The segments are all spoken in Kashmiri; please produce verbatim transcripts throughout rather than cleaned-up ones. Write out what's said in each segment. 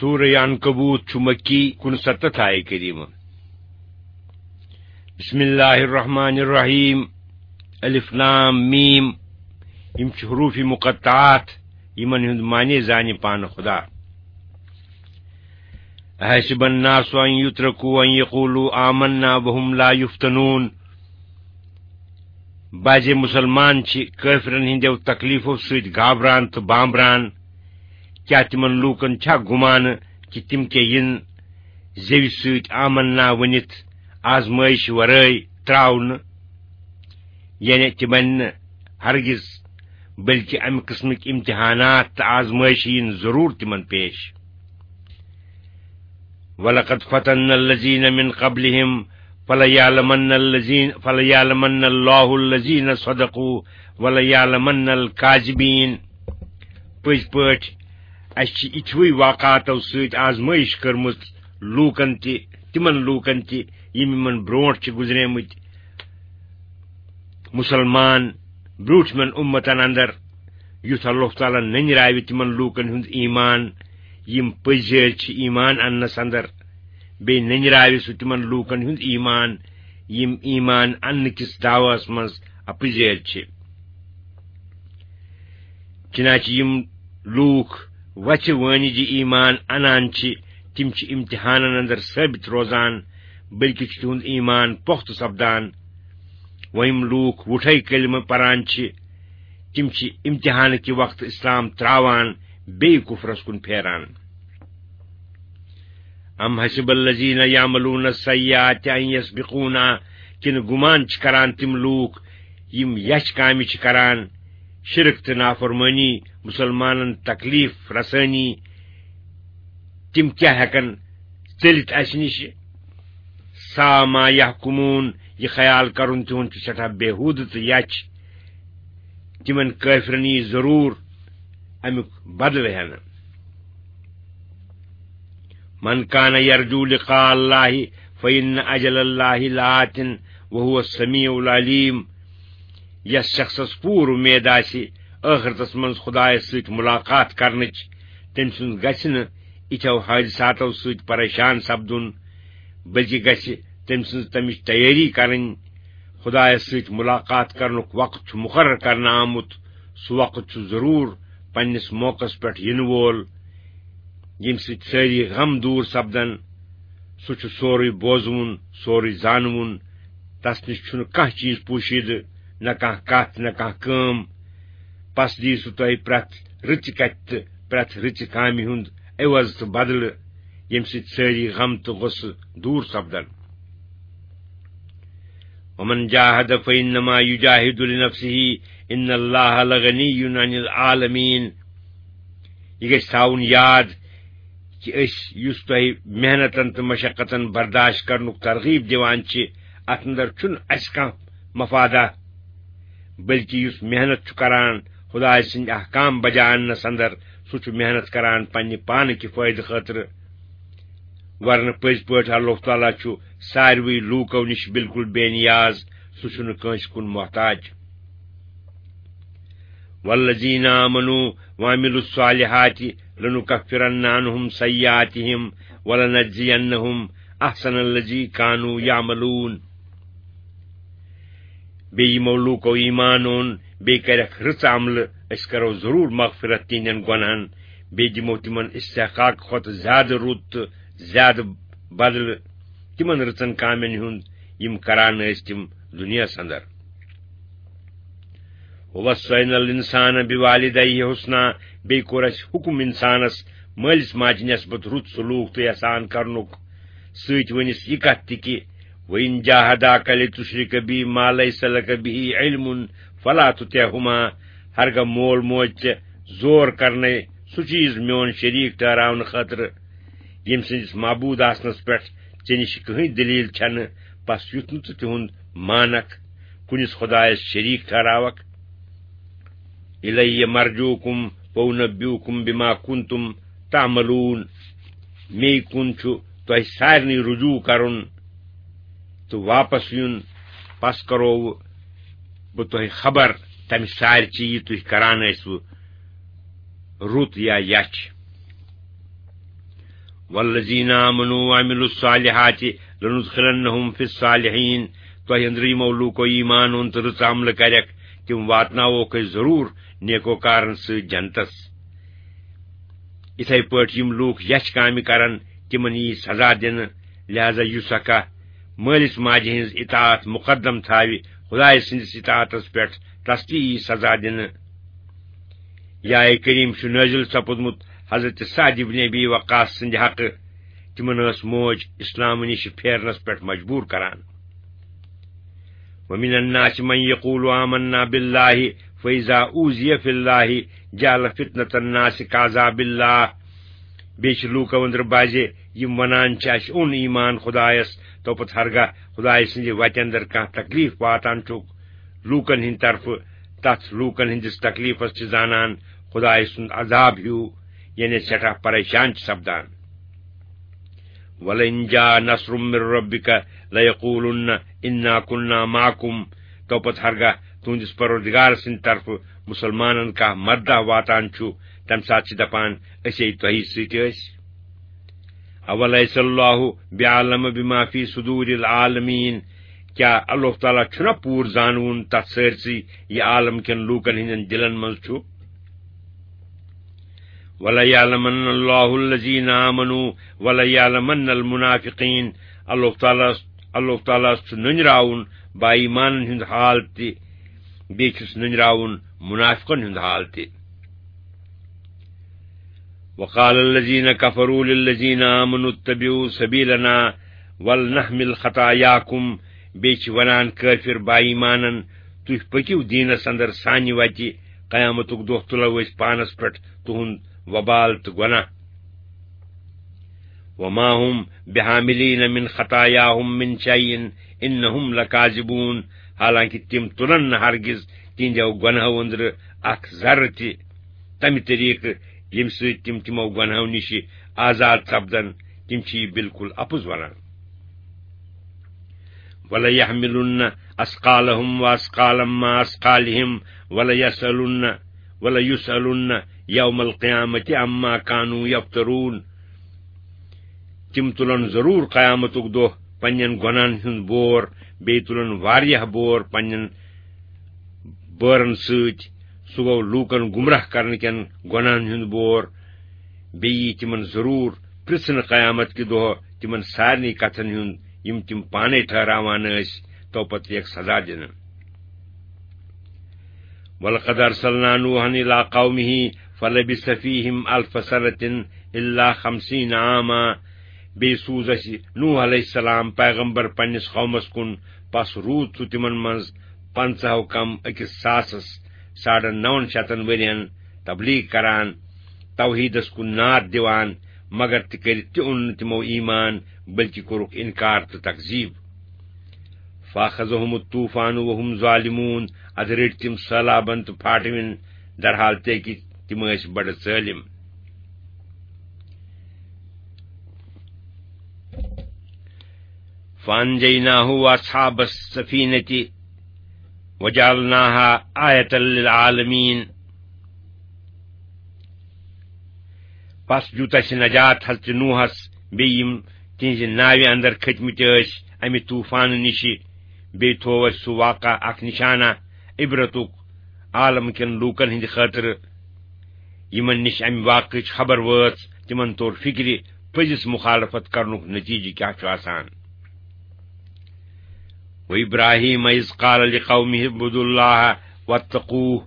سورہ عنکبوت چھُ مکی، کُنسَتتھ آیہِ کریمہ۔ بسم اللہ الرحمن الرحیم۔ الف لام میم۔ یِم چھِ حروف مقطعات، یِمن ہُنٛد معنی زانہِ پانہٕ خدا۔ احسب الناس ان یترکوا ان یقولوا آمنا وهم لا یفتنون۔ بعضے مسلمان چھِ کٲفرن ہٕنٛدیو تکلیفو سۭتۍ گابران تہٕ بامبران۔ کیٛاہ تِمن لوٗکن چھا گُمانہٕ کہِ تِم کیٛاہ یِن زیوِ سۭتۍ آمنا ؤنِتھ آزمٲیش ورٲے ترٛاونہٕ؟ یعنی تِمن نہٕ ہرگز، بلکہ امہِ قٕسمٕکۍ امتحانات تہٕ آزمٲیشہِ یِن ضروٗر تِمن پیش۔ وَلَقَدْ فَتَنَّا الَّذِينَ مِنْ قَبْلِهِمْ فَلَيَعْلَمَنَّ الَّذِينَ، فَلَيَعْلَمَنَّ اللَّهُ الَّذِينَ صَدَقُوا وَلَيَعْلَمَنَّ الْكَاذِبِينَ۔ پٔزۍ پٲٹھۍ، اَسہِ چھِ یِتھوٕے واقعاتو سۭتۍ آزمٲیش کٔرمٕژ لوٗکن تہِ، تِمن لوٗکن تہِ، یِم یِمن برونٛٹھ چھِ گُزریمٕتۍ۔ مُسلمان برٛوٗنٛٹھمٮ۪ن اُمتن اندر، یُتھ اللہ تعالیٰ نٔنۍ راوِ تِمن لوٗکن ہُنٛد ایمان، یِم پٔزۍ یٲرۍ چھِ ایمان اننس اندر، بیٚیہِ نٔنۍ راوِ سُہ تِمن لوٗکن ہُنٛد ایمان، یِم ایمان اننہٕ کِس دعوس منٛز اپٔزۍ یٲرۍ چھِ۔ چنانچہ یِم لوٗکھ وژھِ وٲنِجہِ ایمان انان چھِ، تِم چھِ امتحانن اندر ثٲبت روزان، بلکہ چھُ تِہُنٛد ایمان پۄختہٕ سپدان۔ وۄنۍ یِم لوٗکھ وُٹھے کلمہٕ پران چھِ، تِم چھِ امتحانہٕ کہِ وقتہٕ اسلام ترٛاوان، بیٚیہِ کفرس کُن پھیران۔ ام حسب الذین یعملون السیئات ان یسبقونا، کِنہٕ گُمان چھِ کران تِم لوٗکھ یِم یَچھِ کامہِ چھِ کران، شرک تہٕ نافرمٲنی، مُسلمانن تکلیف رسٲنی، تِم کیٛاہ ہٮ۪کن ژٔلِتھ اَسہِ نِش؟ سا ما یحکمون، یہِ خیال کرُن تِہُنٛد چھُ سٮ۪ٹھاہ بیہوٗدٕ تہٕ یَچھِ۔ تِمن کٲفرن یی ضروٗر اَمیُک بدلہٕ ہٮ۪نہٕ۔ من کان یرجو لقاء اللہ فإن اجل اللہ لآت وهو السمیع العلیم۔ یس شخصس پوٗرٕ اُمید آسہِ ٲخرتس منٛز خدایس سۭتۍ ملاقات کرنٕچ، تٔمۍ سُنٛد گژھِ نہٕ یِتھٮ۪و حٲدثاتو سۭتۍ پریشان سپدُن، بلکہِ گژھِ تٔمۍ سٕنٛز تمِچ تیٲری کرٕنۍ۔ خدایس سۭتۍ ملاقات کرنُک وقت چھُ مقرر کرنہٕ آمُت، سُہ وقت چھُ ضروٗر پننِس موقعس پٮ۪ٹھ یِنہٕ وول، ییٚمہِ سۭتۍ سٲری غم دوٗر سپدن۔ سُہ چھُ سورُے بوزوُن، سورُے زانوُن۔ تس نِش چھُنہٕ کانٛہہ چیٖز پوشیدٕ، نہ کانٛہہ کتھ، نہ کانٛہہ کٲم۔ پس دِیہِ سُہ تۄہہِ پرٛٮ۪تھ رٕژِ کتھِ تہٕ پرٛٮ۪تھ رٕژِ کامہِ ہُنٛد عوض تہٕ بدلہٕ، ییٚمہِ سۭتۍ سٲری غم تہٕ غصہٕ دوٗر سپدن۔ ومن جاہد فإنما یجاہد لنفسہ ان اللہ لغنی عن العالمین۔ یہِ گژھِ تھاوُن یاد کہِ أسۍ یُس تۄہہِ محنتن تہٕ مشقتن برداشت کرنُک ترغیب دِوان چھِ، اتھ اندر چھُنہٕ اسہِ کانٛہہ مفادہ، بلکہِ یُس محنت چھُ کران خدایہِ سٕنٛدۍ احکام بجا اننس اندر، سُہ چھُ محنت کران پننہِ پانہٕ کہِ فٲیدٕ خٲطرٕ۔ ورنہٕ پٔزۍ پٲٹھۍ اللہ تعالیٰ چھُ ساروٕے لوٗکو نِش بالکل بے نیاز، سُہ چھُنہٕ کٲنٛسہِ کُن محتاج۔ والذین آمنوا وعملوا الصالحات لنکفرن عنہم سیئاتہم ولنجزینہم احسن الذی کانوا یعملون۔ بیٚیہِ یِمو لوٗکو ایمان اوٚن، بیٚیہِ کَرٮ۪کھ رٕژ عملہٕ، أسۍ کَرو ضروٗر مغفرت تِہنٛدٮ۪ن گۄنہَن، بیٚیہِ دِمو تِمن استحقاق کھۄتہٕ زیادٕ رُت تہٕ زیادٕ بدلہٕ تِمن رٕژن کامٮ۪ن ہُنٛد، یِم کران ٲسۍ تِم دُنیاہَس اندر۔ ووصینا الانسان بوالدیہ حسنا، بیٚیہِ کوٚر اَسہِ حُکم اِنسانَس مٲلِس ماجہِ نٮ۪سبت رُت سلوٗک تہٕ احسان کرنُک۔ سۭتۍ ؤنِس یہِ کتھ تہِ کہِ، وَإِنْ جَاهَدَاكَ لِتُشْرِكَ بِي مَا لَيْسَ لَكَ بِهِ عِلْمٌ فَلَا تُطِعْهُمَا، ہرگاہ مول موج ژےٚ زور کرنے سُہ چیز میون شریک ٹھہراونہٕ خٲطرٕ، ییٚمہِ سٕنٛدِس معبوٗد آسنس پٮ۪ٹھ ژےٚ نِش کٕہٕنۍ دٔلیٖل چھنہٕ، پس یُتھ نہٕ ژٕ تِہُنٛد مانکھ، کُنِس خدایس شریک ٹھہراوکھ۔ اِلَیَّ مَرْجِعُكُمْ فَأُنَبِّئُكُمْ بِمَا كُنْتُمْ تَعْمَلُونَ۔ مے کُن چھُ تۄہہِ سارنٕے رجوع کرُن تہٕ واپس یُن، پس کرو بہٕ تۄہہِ خبر تمہِ سارِ چیٖز یہِ تُہۍ کران ٲسوٕ، رُت یا یچھ۔ والذین آمنوا وعملوا الصالحات لندخلنہم فی الصالحین، تۄہہِ أنٛدرٕ یِمو لوٗکو ایمان اوٚن تہٕ رٕژ عملہٕ کَرٮ۪کھ، تِم واتناووکھ أسۍ ضروٗر نیکوکارن سۭتۍ جنتس۔ یِتھے پٲٹھۍ یِم لوٗکھ یَچھِ کامہِ کرن، تِمن یی سزا دِنہٕ۔ لہذا یُس اکھ مٲلِس ماجہِ ہٕنٛز اطاعت مقدم تھاوِ خدایہِ سٕنٛدِس اطاعتس پٮ۪ٹھ، تس تہِ یی سزا دِنہٕ۔ یہِ آیہِ کریٖم چھُ نٲزِل سپُدمُت حضرت سعد ابن ابی وقاص سٕنٛدِ حقہٕ۔ تِمن ٲس موج اسلام نِش پھیرنس پٮ۪ٹھ مجبوٗر کران۔ ومن الناس من یقول آمنا باللہ فاذا اوذی فی اللہ جعل فتنة الناس کعذاب اللہ۔ بیٚیہِ چھِ لوٗکو أنٛدرٕ بعضے یِم ونان چھِ، "اسہِ اوٚن ایمان خدایس، تو پتہٕ ہرگاہ خدایہِ سٕنٛدِ وتہِ اندر کانٛہہ تکلیف واتان چھُکھ لوٗکن ہٕنٛدِ طرفہٕ، تتھ لوٗکن ہٕنٛدِس تکلیفس چھِ زانان خدایہِ سُنٛد عذاب ہیوٗ، یعنی سٮ۪ٹھاہ پریشان چھِ سپدان۔" وَلَئِن جَاءَ نَصْرٌ مِّن رَّبِّكَ لَيَقُولُنَّ إِنَّا كُنَّا مَعَكُمْ۔ تو پتہٕ ہرگاہ تُہنٛدِس پروردگار سٕنٛدِ طرفہٕ مُسلمانن کانٛہہ مددہ واتان چھُ، تمہِ ساتہٕ چھِ دپان، "أسۍ ہے تۄہی سۭتۍ ٲسۍ۔" أَوَلَيْسَ اللَّهُ بِأَعْلَمَ بِمَا فِي صُدُورِ الْعَالَمِينَ۔ کیٛاہ اللہ تعالیٰ چھُنہ پوٗرٕ زانوُن تتھ سٲرسٕے یہِ عالم کٮ۪ن لوٗکن ہٕنٛدٮ۪ن دِلن منٛز چھُ؟ وَلَيَعْلَمَنَّ اللَّهُ الَّذِينَ آمَنُوا وَلَيَعْلَمَنَّ الْمُنَافِقِينَ۔ اللہ تعالیٰ، اللہ تعالیٰ ہس چھُ نٔنراوُن با ایمانن ہُنٛد حال تہِ، بیٚیہِ چھُس نٔنراوُن منافقن ہُنٛد حال تہِ۔ وَقَالَ الَّذِينَ كَفَرُوا لِلَّذِينَ آمَنُوا اتَّبِعُوا سَبِيلَنَا وَلْنَحْمِلْ خَطَايَاكُمْ۔ بیٚیہِ چھِ ونان کٲفر با ایمانن، "تُہۍ پٔکِو دیٖنس اندر سانہِ وتہِ، قیامتُک دۄہ تُلو أسۍ پانس پٮ۪ٹھ تُہُنٛد وبال تہٕ گۄناہ۔" وَمَا هُمْ بِحَامِلِينَ مِنْ خَطَايَاهُمْ مِنْ شَيْءٍ إِنَّهُمْ لَكَاذِبُونَ۔ حالانکہ تِم تُلن نہٕ ہرگز تِہنٛدیو گۄناہو أنٛدرٕ اکھ ذرٕ تہِ، تمہِ طریقہٕ ییٚمہِ سۭتۍ تِم تِمو گۄناہو نِشہِ آزاد سپدن، تِم چھِ یہِ بالکل اپُز ونان۔ وَلَيَحْمِلُنَّ أَثْقَالَهُمْ وَأَثْقَالًا مَعَ أَثْقَالِهِمْ وَلَيُسْأَلُنَّ، وَلَيُسْأَلُنَّ يَوْمَ الْقِيَامَةِ عَمَّا كَانُوا يَفْتَرُونَ۔ تِم تُلن ضروٗر قیامتُک دۄہ پننٮ۪ن گۄناہن ہُنٛد بور، بیٚیہِ تُلن واریاہ بور پننٮ۪ن بٲرن سۭتۍ۔ سُہ گوٚو لوٗکن گمراہ کرنہٕ کٮ۪ن گۄناہن ہُنٛد بور۔ بیٚیہِ یی تِمن ضروٗر پرژھنہٕ قیامت کہِ دۄہ تِمن سارنٕے کتھن ہُنٛد، یِم تِم پانے ٹھہراوان ٲسۍ، تو پتہٕ یِیَکھ سزا دِنہٕ۔ وَلَقَدْ أَرْسَلْنَا نُوحًا إِلَىٰ قَوْمِهِ فَلَبِثَ فِيهِمْ أَلْفَ سَنَةٍ إِلَّا خَمْسِينَ عَامًا۔ بیٚیہِ سوٗز اَسہِ نوح علیہ السلام پیغمبر پننِس قومس کُن، پس روٗد سُہ تِمن منٛز پنٛژاہو کم أکِس ساسس، ساڑن نون شتن ؤرین تبلیغ کران، توحیدس کُن ناد دِوان، مگر تہِ کٔرِتھ تہِ اوٚن نہٕ تِمو ایمان، بلکہِ کوٚرُکھ انکار تہٕ تکذیب۔ فَأَخَذَهُمُ الطُّوفَانُ وَهُمْ ظَالِمُونَ۔ ادٕ رٔٹۍ تِم سہلابن تہٕ پھاٹوِن، درحال تہِ کہِ تِم ٲسۍ بڑٕ ظٲلِم۔ فَأَنجَيْنَاهُ وَأَصْحَابَ السَّفِينَةِ وَجَعَلْنَاهَا آيَةً لِلْعَالَمِينَ۔ پس دیُت اَسہِ نجات حضرت نوحس، بیٚیہِ یِم تِہنٛزِ ناوِ اندر کھٔتۍ مٕتۍ ٲسۍ اَمہِ طوٗفانہٕ نِشہِ۔ بیٚیہِ تھوو اَسہِ سُہ واقعہ اکھ نشانہ عبرتُک عالم کٮ۪ن لوٗکن ہٕنٛدِ خٲطرٕ۔ یِمن نِش اَمہِ واقعٕچ خبر وٲژ، تِمن توٚر فِکرِ، پٔزِس مُخالفت کرنُک نتیجہٕ کیٛاہ چھُ آسان۔ وَإِبْرَاهِيمَ إِذْ قَالَ لِقَوْمِهِ اعْبُدُوا اللَّهَ وَاتَّقُوهُ۔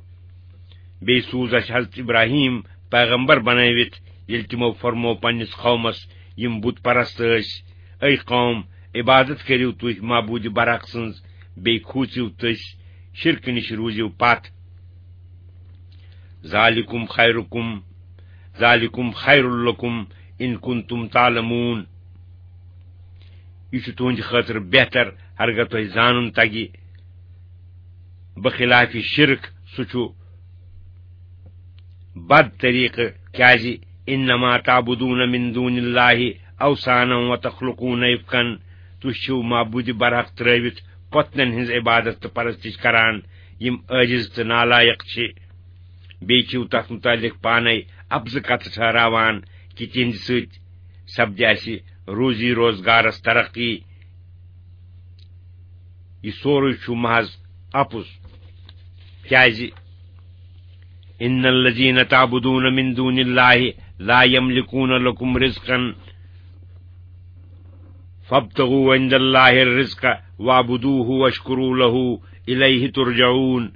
بیٚیہِ سوٗز اَسہِ حضرت ابراہیم پیغمبر بنٲوِتھ، ییٚلہِ تِمو فرموو پننِس قومس، یِم بُت پرست ٲسۍ، "اے قوم، عبادت کٔرِو تُہۍ معبوٗدِ برحق سٕنٛز، بیٚیہِ کھوٗژِو تٔسۍ، شرکہٕ نِش روٗزِو پتھ۔ ذالکم خیرکم، ذالکم خیر لکم ان کنتم تعلمون۔" یہِ چھُ تُہنٛدِ خٲطرٕ بہتر، ہرگاہ تۄہہِ زانُن تگہِ۔ بخلاف شرک، سُہ چھُ بد طریقہٕ، کیازِ، "انما تعبدون من دون اللہ اوثانا وتخلقون افکا"، تُہۍ چھِو معبوٗدِ برحق ترٲوِتھ پۄتنن ہٕنٛز عبادت تہٕ پرستش کران، یِم عٲجز تہٕ نالایق چھِ۔ بیٚیہِ چھِو تتھ مُتعلق پانے اپزٕ کتھٕ ٹھہراوان کہِ تِہنٛدِ سۭتۍ سپدِ اسہِ روزی روزگارس ترقی۔ یہِ سورُے چھُ محض اپُز۔ کیازِ؟ ان الذین تعبدون من دون اللہ لا یملکون لکم رزقا فابتغوا عند اللہ الرزق واعبدوہ واشکروا لہ الیہ ترجعون۔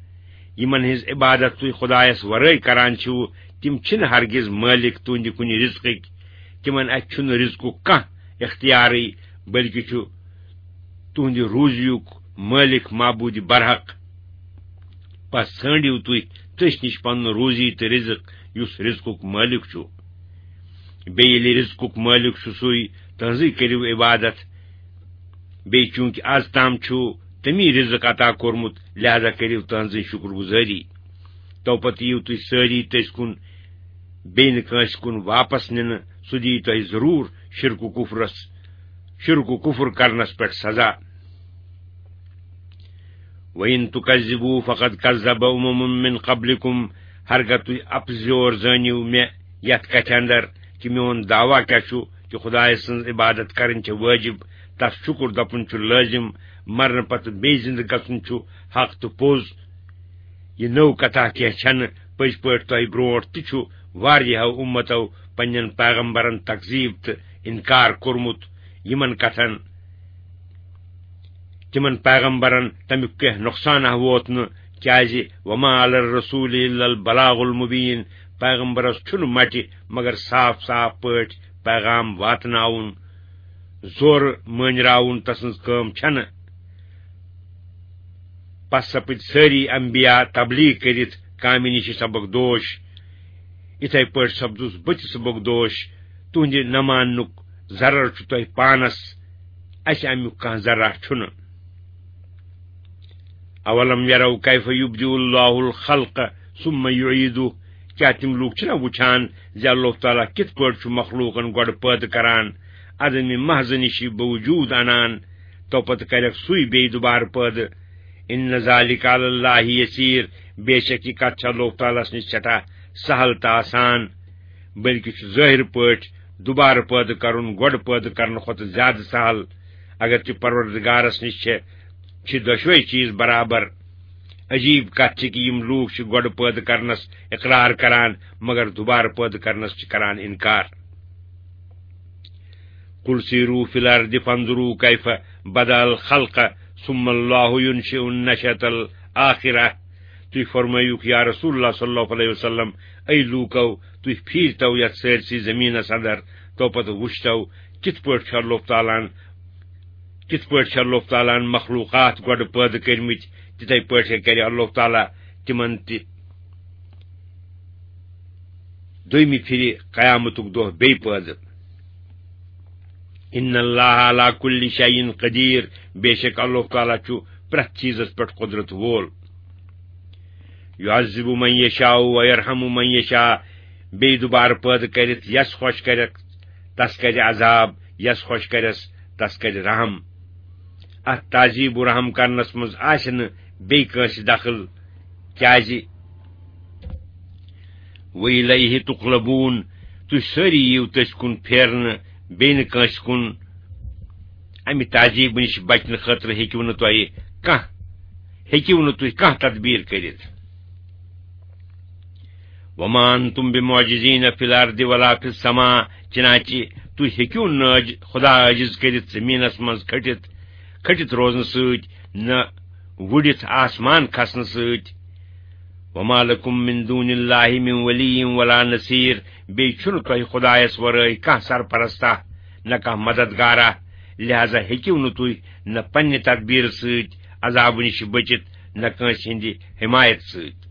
یِمن ہٕنٛز عبادت تُہۍ خدایس ورٲے کران چھِو، تِم چھِنہٕ ہرگز مٲلِک تُہنٛدِ کُنہِ رزقٕکۍ۔ تِمن اتھِ چھُنہٕ رزقُک کانٛہہ اختیارٕے، بلکہِ چھُ تُہنٛدِ روزیُک مٲلِک معبوٗدِ برحق۔ پس ژھٲنٛڈِو تُہۍ تٔسۍ نِش پنُن روزی تہٕ رزق، یُس رزقُک مٲلِک چھُ۔ بیٚیہِ ییٚلہِ رزقُک مٲلِک چھُ سُے، تہنٛزٕے کٔرِو عبادت۔ بیٚیہِ چوٗنٛکہِ از تام چھُ تٔمی رزق عطا کوٚرمُت، لہذا کٔرِو تہنٛزٕے شُکر گُزٲری۔ تو پتہٕ یِیِو تُہۍ سٲری تٔسۍ کُن، بیٚیہِ نہٕ کٲنٛسہِ کُن واپس نِنہٕ، سُہ دِیہِ تۄہہِ ضروٗر شرک و کفرس، شرک و کفر کرنس پٮ۪ٹھ سزا۔ وَإِن تُكَذِّبُوا فَقَدْ كَذَّبَ أُمَمٌ مِّن قَبْلِكُمْ، ہرگاہ تُہۍ اپزیور زٲنِو مےٚ یتھ کتھِ اندر کہِ میون دعویٰ کیاہ چھُ کہِ خدایہ سٕنز عبادت کرٕنۍ چھےٚ وٲجِب، تس شُکر دپُن چھُ لٲزِم، مرنہٕ پتہٕ بیٚیہِ زِندٕ گژھُن چھُ حق تہٕ پوٚز۔ یہِ نٔو کتھا کینٛہہ چھنہٕ، پٔزۍ پٲٹھۍ تۄہہِ برونٹھ تہِ چھُ واریاہو اُمتو پننٮ۪ن پیغمبرن تکذیب تہٕ انکار کوٚرمُت۔ یِمن کتھن تِمن پیغمبرن تمیُک کینٛہہ نۄقصانہ ووت نہٕ، کیازِ وما علی الرسول الا البلاغ المبین، پیغمبرس چھُنہٕ مٹہِ مگر صاف صاف پٲٹھۍ پیغام واتناوُن، زورٕ مٲنراوُن تسٕنز کٲم چھنہٕ۔ پس سپٕدۍ سٲری انبیاء تبلیغ کٔرِتھ کامہِ نِش سبق دوش۔ یِتھے پٲٹھۍ سپدُس بہٕ تہِ سبق دوش۔ تُہنٛدِ نہ ماننُک ضرر چھُ تۄہہِ پانس، اسہِ امیُک کانٛہہ ذرہ چھُنہٕ۔ اولم یروا کیف یبدئ اللہ الخلق ثم یعیدہ، کیٛاہ تِم لوٗکھ چھِنہ وٕچھان زِ اللہ تعالیٰ کِتھ پٲٹھۍ چھُ مخلوٗقن گۄڈٕ پٲدٕ کران، عدمِ محض نِشی بوجود انان، تو پتہٕ کرٮ۪کھ سُے بیٚیہِ دُبارٕ پٲدٕ؟ ان ذلک علی اللہ یسیر، بے شک یہِ کتھ چھِ اللہ تعالیٰ ہس نِش سٮ۪ٹھاہ سہل تہٕ آسان، بلکہِ چھُ ظٲہِر پٲٹھۍ دُبارٕ پٲدٕ کرُن گۄڈٕ پٲدٕ کرنہٕ کھۄتہٕ زیادٕ سہل۔ اگر تہِ پروردگارس نِش چھِ، چھِ دۄشوے چیز برابر۔ عجیب کتھ چھِ کہِ یِم لوٗکھ چھِ گۄڈٕ پٲدٕ کرنس اقرار کران، مگر دُبارٕ پٲدٕ کرنس چھِ کران انکار۔ قل سیروا فی الارض فانظروا کیف بدأ الخلق ثم اللہ ینشئ النشأة الآخرة۔ تُہۍ فرمٲیِو یا رسول اللہ صلی اللہ علیہ وسلم، اے لوٗکو، تُہۍ پھیٖرتو یتھ سٲرسٕے زٔمیٖنس اندر، تو پتہٕ وٕچھتو کِتھ پٲٹھۍ چھُ اللہ تعالیٰ ہن، کِتھ پٲٹھۍ چھُ اللہ تعالیٰ ہن مخلوقات گۄڈٕ پٲدٕ کٔرمٕتۍ، تِتھے پٲٹھۍ کرِ اللہ تعالیٰ تِمن تہِ دوٚیمہِ پھِرِ قیامتُک دۄہ بیٚیہِ پٲدٕ۔ ان اللہ علی کل شیء قدیر، بے شک اللہ تعالیٰ چھُ پرٛٮ۪تھ چیزس پٮ۪ٹھ قدرت وول۔ یعذب من یشاء و یرحم من یشاء، بیٚیہِ دُبارٕ پٲدٕ کٔرِتھ یس خۄش کرٮ۪کھ تس کرِ عذاب، یس خۄش کرٮ۪س تس کرِ رحم۔ اتھ تعذیب و رحم کرنس منٛز آسہِ نہٕ بیٚیہِ کٲنٛسہِ دخل، کیازِ وَإِلَيْهِ تُقْلَبُونَ، تُہۍ سٲری یِیِو تٔسۍ کُن پھیرنہٕ، بیٚیہِ نہٕ کٲنٛسہِ کُن۔ امہِ تعذیبہٕ نِش بچنہٕ خٲطرٕ ہیٚکِو نہٕ تۄہہِ کانٛہہ، ہیٚکِو نہٕ تُہۍ کانٛہہ تدبیر کٔرِتھ۔ وَمَا أَنْتُمْ بِمُعْجِزِينَ فِي الْأَرْضِ وَلَا فِي السَّمَاءِ، چنانچہ تُہۍ ہیٚکِو نہٕ عٲج-، خدا عٲجز کٔرِتھ زٔمیٖنس منٛز کھٔٹِتھ، کھٔٹِتھ روزنہٕ سۭتۍ، نہ وُڈِتھ آسمان کھسنہٕ سۭتۍ۔ وَمَا لَكُمْ مِنْ دُونِ اللَّهِ مِنْ وَلِيٍّ وَلَا نَصِيرٍ، بیٚیہِ چھُنہٕ تۄہہِ خدایس ورٲے کانٛہہ سرپرستہ، نہ کانٛہہ مددگارہ، لہذا ہیٚکِو نہٕ تُہۍ نہ پننہِ تدبیرٕ سۭتۍ عذابہٕ نِش بٔچِتھ، نہ کٲنٛسہِ ہٕنٛدِ حمایت سۭتۍ۔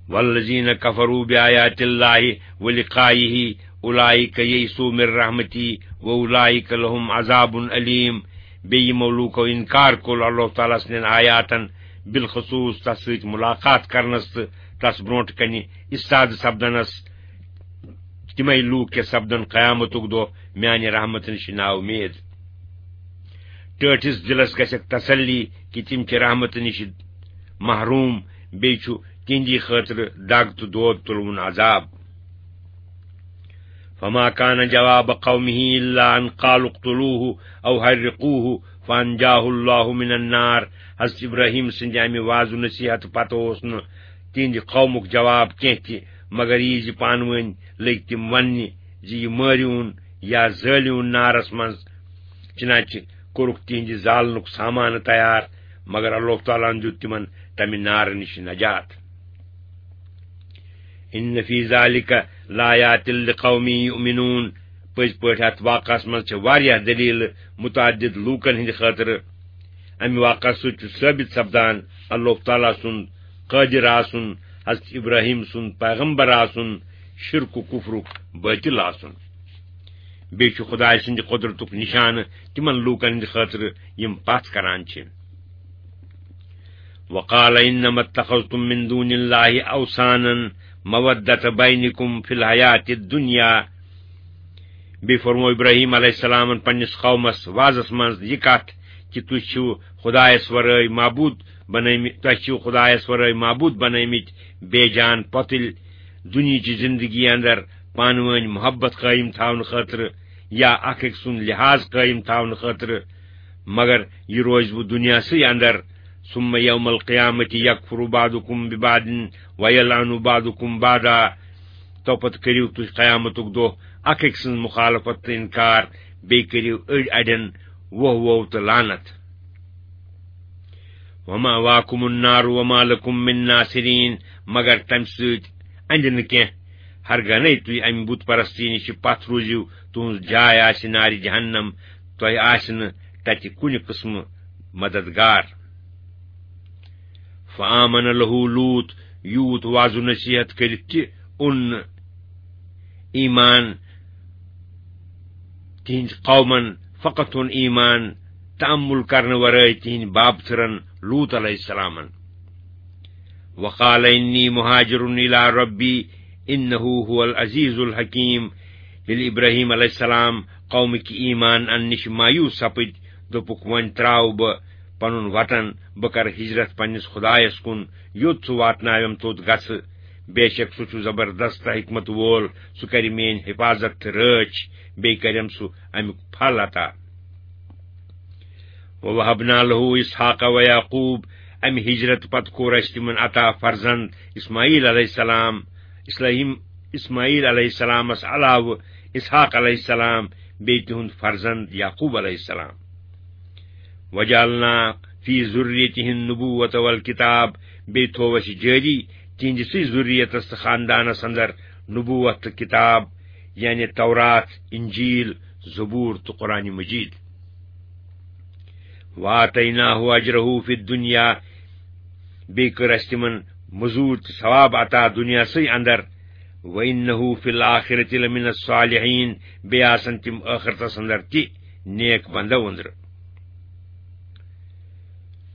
وَالَّذِينَ كَفَرُوا بِآيَاتِ اللَّهِ وَلِقَائِهِ أُولَٰئِكَ يَئِسُوا مِنْ رَحْمَتِي وَأُولَٰئِكَ لَهُمْ عَذَابٌ أَلِيمٌ۔ بیٚیہِ یِمو لوٗکو اِنکار کوٚر اللہ تعالیٰ سٕنٛدٮ۪ن آیاتن، بالخصوٗص تس سۭتۍ مُلاقات کرنس تہٕ تس برونٛٹھ کنہِ استاد سپدنس، تِمے لوٗکھ کیٛاہ سپدن قیامتُک دۄہ میانہِ رحمتہٕ نِش نا اُمید۔ ٹٲٹھِس دِلس گژھٮ۪کھ تسلی کہِ تِم چھِ رحمتہٕ نِش محروم، بیٚیہِ چھُ تِہنٛدی خٲطرٕ دگ تہٕ دود تُلوُن عذاب۔ فما كان جواب قومه إلا أن قالوا اقتلوه أو حرقوه فأنجاه الله من النار۔ حضرت ابراہیم سٕنٛدِ اَمہِ وعظ و نصیحت پتہٕ اوس نہٕ تِہنٛدِ قومُک جواب کینٛہہ تہِ، مگر یہِ زِ پانہٕ ؤنۍ لٔگۍ تِم وننہِ زِ یہِ مٲرِوُن یا زٲلِوُن نارس منٛز۔ چنانچہ کوٚرُکھ تِہنٛدِ زالنُک سامانہٕ تیار، مگر اللہ تعالیٰ ہن دیُت تِمن تمہِ نارٕ نِش نجات۔ ان فی ذالک لآیات لقوم یؤمنون۔ پٔزۍ پٲٹھۍ اتھ واقعس منٛز چھِ واریاہ دلیلہٕ متعدد لوٗکن ہٕنٛدِ خٲطرٕ۔ امہِ واقعس سۭتۍ چھُ ثٲبت سپدان اللہ تعالیٰ سُنٛد قٲدر آسُن، حضرت ابراہیم سُنٛد پیغمبر آسُن، شرک و کفرُک باطل آسُن۔ بیٚیہِ چھُ خدایہِ سٕنٛدِ قدرتُک نشانہٕ تِمن لوٗکن ہٕنٛدِ خٲطرٕ یِم پتھ کران چھِ۔ وقال انما اتخذتم من دون الله اوثانا مودة بينكم في الحياة الدنيا۔ بیٚیہِ فرموو ابراہیم علیہ السلامن پننِس قومس وعظس منٛز یہِ کتھ کہِ تُہۍ چھِو خدایس ورٲے معبوٗد بنٲومٕتۍ، تۄہہِ چھِو خدایس ورٲے معبوٗد بنٲومٕتۍ بے جان پۄتٕلۍ دُنیہٕچہِ زندگی اندر پانہٕ وٲنۍ محبت قٲیِم تھاونہٕ خٲطرٕ یا اکھ أکۍ سُنٛد لحاظ قٲیِم تھاونہٕ خٲطرٕ، مگر یہِ روزِ وۄنۍ دُنیاہسٕے اندر۔ ثم یوم القیامة یکفر بعضکم ببعض ویلعن بعضکم بعضا۔ تو پتہٕ کٔرِو تُہۍ قیامتُک دۄہ اکھ أکۍ سٕنٛز مخالفت تہٕ انکار، بیٚیہِ کٔرِو أڑۍ اڑٮ۪ن ووہ ووہ تہٕ لعنت۔ ومأواکم النار وما لکم من ناصرین، مگر تمہِ سۭتۍ اندِ نہٕ کینٛہہ۔ ہرگاہ نے تُہۍ امہِ بت پرستی نِش پتھ روٗزِو، تُہنٛز جاے آسہِ نارِ جہنم، تۄہہِ آسہِ نہٕ تتہِ کُنہِ قٕسمہٕ مددگار۔ فآمن لہ لوط، یوٗت وعظ و نصیحت کٔرِتھ تہِ اوٚن نہٕ ایمان تِہنٛدۍ قومن، فقط اوٚن ایمان تأمل کرنہٕ ورٲے تِہنٛدۍ بابتھٕرن لوط علیہ السلامن۔ وقال انی مہاجر الی ربی انہ هو العزیز الحکیم۔ ییٚلہِ ابراہیم علیہ السلام قومٕکۍ ایمان اننہٕ نِش مایوس سپٕدۍ، دوٚپُکھ، وۄنۍ ترٛاوٕ بہٕ پنُن وطن، بہٕ کرٕ ہجرت پننِس خدایس کُن، یوٚت سُہ واتناوٮ۪م توٚت گژھٕ۔ بے شک سُہ چھُ زبردست حکمت وول، سُہ کرِ میٲنۍ حفاظت تہٕ رٲچھ، بیٚیہِ کرٮ۪م سُہ امیُک پھل عطا۔ ووهبنا له اسحاق ويعقوب، امہِ ہجرت پتہٕ کوٚر اسہِ تِمن عطا فرزند اسماعیل علیہ السلام، اسلام، اسماعیل علیہ السلامس علاوٕ اسحاق علیہ السلام، بیٚیہِ تِہُنٛد فرزند یعقوب علیہ السلام۔ وجعلنا فی ذریتہ النبوۃ والکتاب، بیٚیہِ تھوو اسہِ جٲری تِہنٛدِسٕے ذریتس تہٕ خاندانس اندر نبوت تہٕ کتاب، یعنی تورات، انجیل، زبور تہٕ قرآن مجید۔ وآتیناہ اجرہ فی الدنیا، بیٚیہِ کٔر اسہِ تِمن مزوٗرۍ تہٕ ثواب عطا دُنیاہسٕے اندر۔ وانہ فی الآخرۃ لمن الصالحین، بیٚیہِ آسن تِم ٲخرتس اندر تہِ نیک بندو أنٛدرٕ۔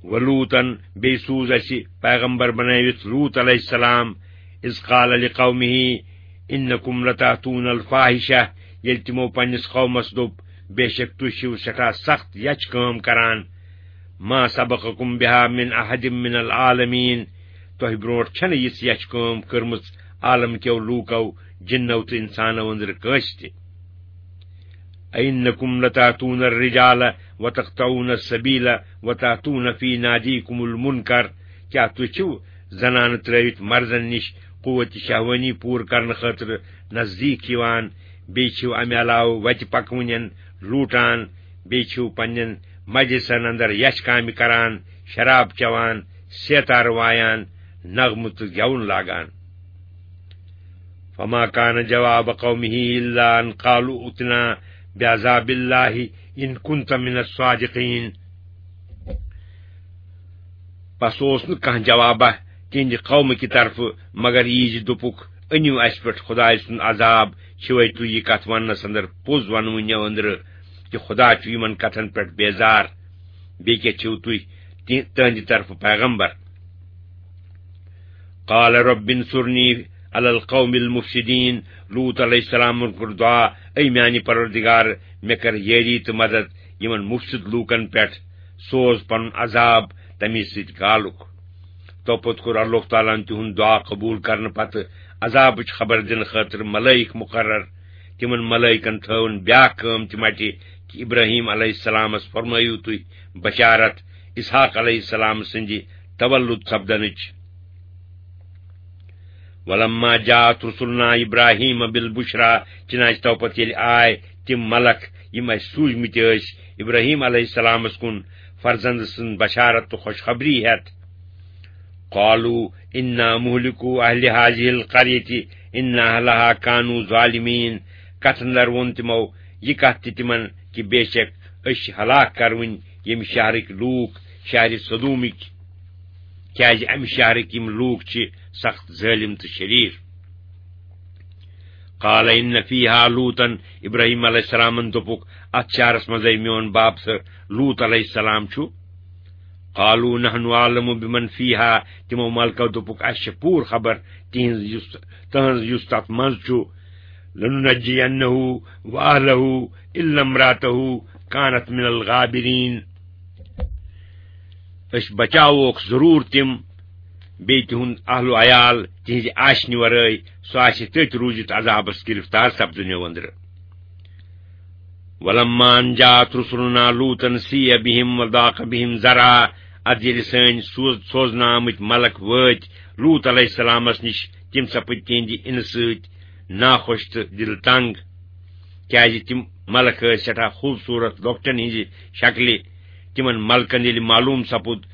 ولوطا، بیٚیہِ سوٗز اسہِ پیغمبر بنٲوِتھ لوط علیہ السلام، اذ قال لقومہ انکم لتاتون الفاحشہ، ییٚلہِ تِمو پننِس قومس دوٚپ، بے شک تُہۍ چھِو سٮ۪ٹھاہ سخت یچھ کٲم کران، ما سبقکم بها من احد من العالمین، تۄہہِ برونٛٹھ چھنہٕ یِژھ یچھ کٲم کٔرمٕژ عالم کیو لوٗکو، جنو تہٕ انسانو أنٛدرٕ کٲنٛسہِ تہِ۔ أئنکم لتأتون الرجال وتقطعون السبیل وتأتون فی نادیکم المنکر، کیٛاہ تُہۍ چھِو زنانہٕ ترٲوِتھ مردن نِش قوت شہوانی پوٗرٕ کرنہٕ خٲطرٕ نزدیٖک یِوان، بیٚیہِ چھِو امہِ علاوٕ وتہِ پکوٕنٮ۪ن لوٗٹان، بیٚیہِ چھِو پننٮ۪ن مجلسن اندر یچھ کامہِ کران، شراب چٮ۪وان، سیتارٕ وایان، نغمہٕ تہٕ گٮ۪وُن لاگان؟ فما کان جواب قومہ الا ان قالوا ائتنا بعذاب اللہ ان کنت من الصادقین۔ پس اوس نہٕ کانٛہہ جوابہ تِہنٛدِ قومہٕ کہِ طرفہٕ، مگر یی زِ دوٚپُکھ، أنِو اَسہِ پٮ۪ٹھ خدایہِ سُنٛد عذاب، چھِوَے تُہۍ یہِ کتھ وننس اندر پوٚز ونوٕنٮ۪و أنٛدرٕ کہِ خدا چھُ یِمن کتھن پٮ۪ٹھ بیزار؟ بیٚیہِ کیٛاہ چھِو تُہۍ تہِ-، تِہنٛدِ طرفہٕ پیغمبر؟ قال رب انصرنی علی القوم المفسدین۔ لوط علیہ السلامن کوٚر دعا، اے میانہِ پروردگار، مےٚ کر یٲری تہٕ مدد یِمن مفسد لوٗکن پٮ۪ٹھ، سوز پنُن عذاب تمی سۭتۍ گالُک۔ تو پوٚت کوٚر اللہ تعالیٰ ہن تِہُنٛد دعا قبوٗل کرنہٕ پتہٕ عذابٕچ خبر دِنہٕ خٲطرٕ ملٲیِک مقرر۔ تِمن ملٲیکن تھٲوٕن بیاکھ کٲم تہِ مٹہِ، کہِ ابراہیم علیہ السلامس فرمٲیِو تُہۍ بشارت اسحاق علیہ السلام سٕنٛدِ تولد سپدنٕچ۔ ولما جاءت رسلنا ابراہیم بالبشرا، چنانچہ تو پتہٕ ییٚلہِ آے تِم ملک یِم اَسہِ سوٗزمٕتۍ ٲسۍ ابراہیم علیہ السلامس کُن فرزند سٕنٛز بشارت تہٕ خوشخبری ہٮ۪تھ، قالوا انا مہلکو اہل هذه القرية ان اہلها كانوا ظالمين۔ کتھ اندر ووٚن تِمو یہِ کتھ تہِ تِمن کہِ بے شک أسۍ چھِ ہلاک کرونۍ ییٚمہِ شہرٕکۍ لوٗکھ، شہرِ سدومٕکۍ، کیازِ امہِ شہرٕکۍ یِم لوٗکھ چھِ سخت ظٲلم تہٕ شریٖر۔ قال ان فيها لوطا، ابراہیم علیہ السلامن دوٚپُکھ، اتھ شہرس منٛزے میون باب تہٕ لوط علیہ السلام چھُ۔ قالوا نحن اعلم بمن فيها، تِمو ملکو دوٚپُکھ، اسہِ چھِ پوٗرٕ خبر تِہنٛز یُس، تٕہنٛز یُس تتھ منٛز چھُ۔ لننجينه واهله الا امراته كانت من الغابرين۔ أسۍ بچاووکھ ضروٗر تِم، بیٚیہِ تِہُنٛد اہل و عیال، تِہنٛزِ آشنہِ ورٲے، سُہ آسہِ تٔتھۍ روٗزِتھ عذابس گرفتار سپدنہٕ أنٛدرٕ۔ ولما ان جاءت رسلنا لوطا سيء بهم وضاق بهم ذرعا، ادٕ ییٚلہِ سٲنۍ سوز-، سوزنہٕ آمٕتۍ ملک وٲتۍ لوط علیہ السلامس نِش، تِم سپٕدۍ تِہنٛدِ اِنہٕ سۭتۍ ناخۄش تہٕ دِل تنگ، کیازِ تِم ملک ٲسۍ سٮ۪ٹھاہ خوٗبصوٗرت لۄکٹٮ۪ن ہٕنٛزِ شکلہِ۔ تِمن ملکن ییٚلہِ معلوٗم سپُد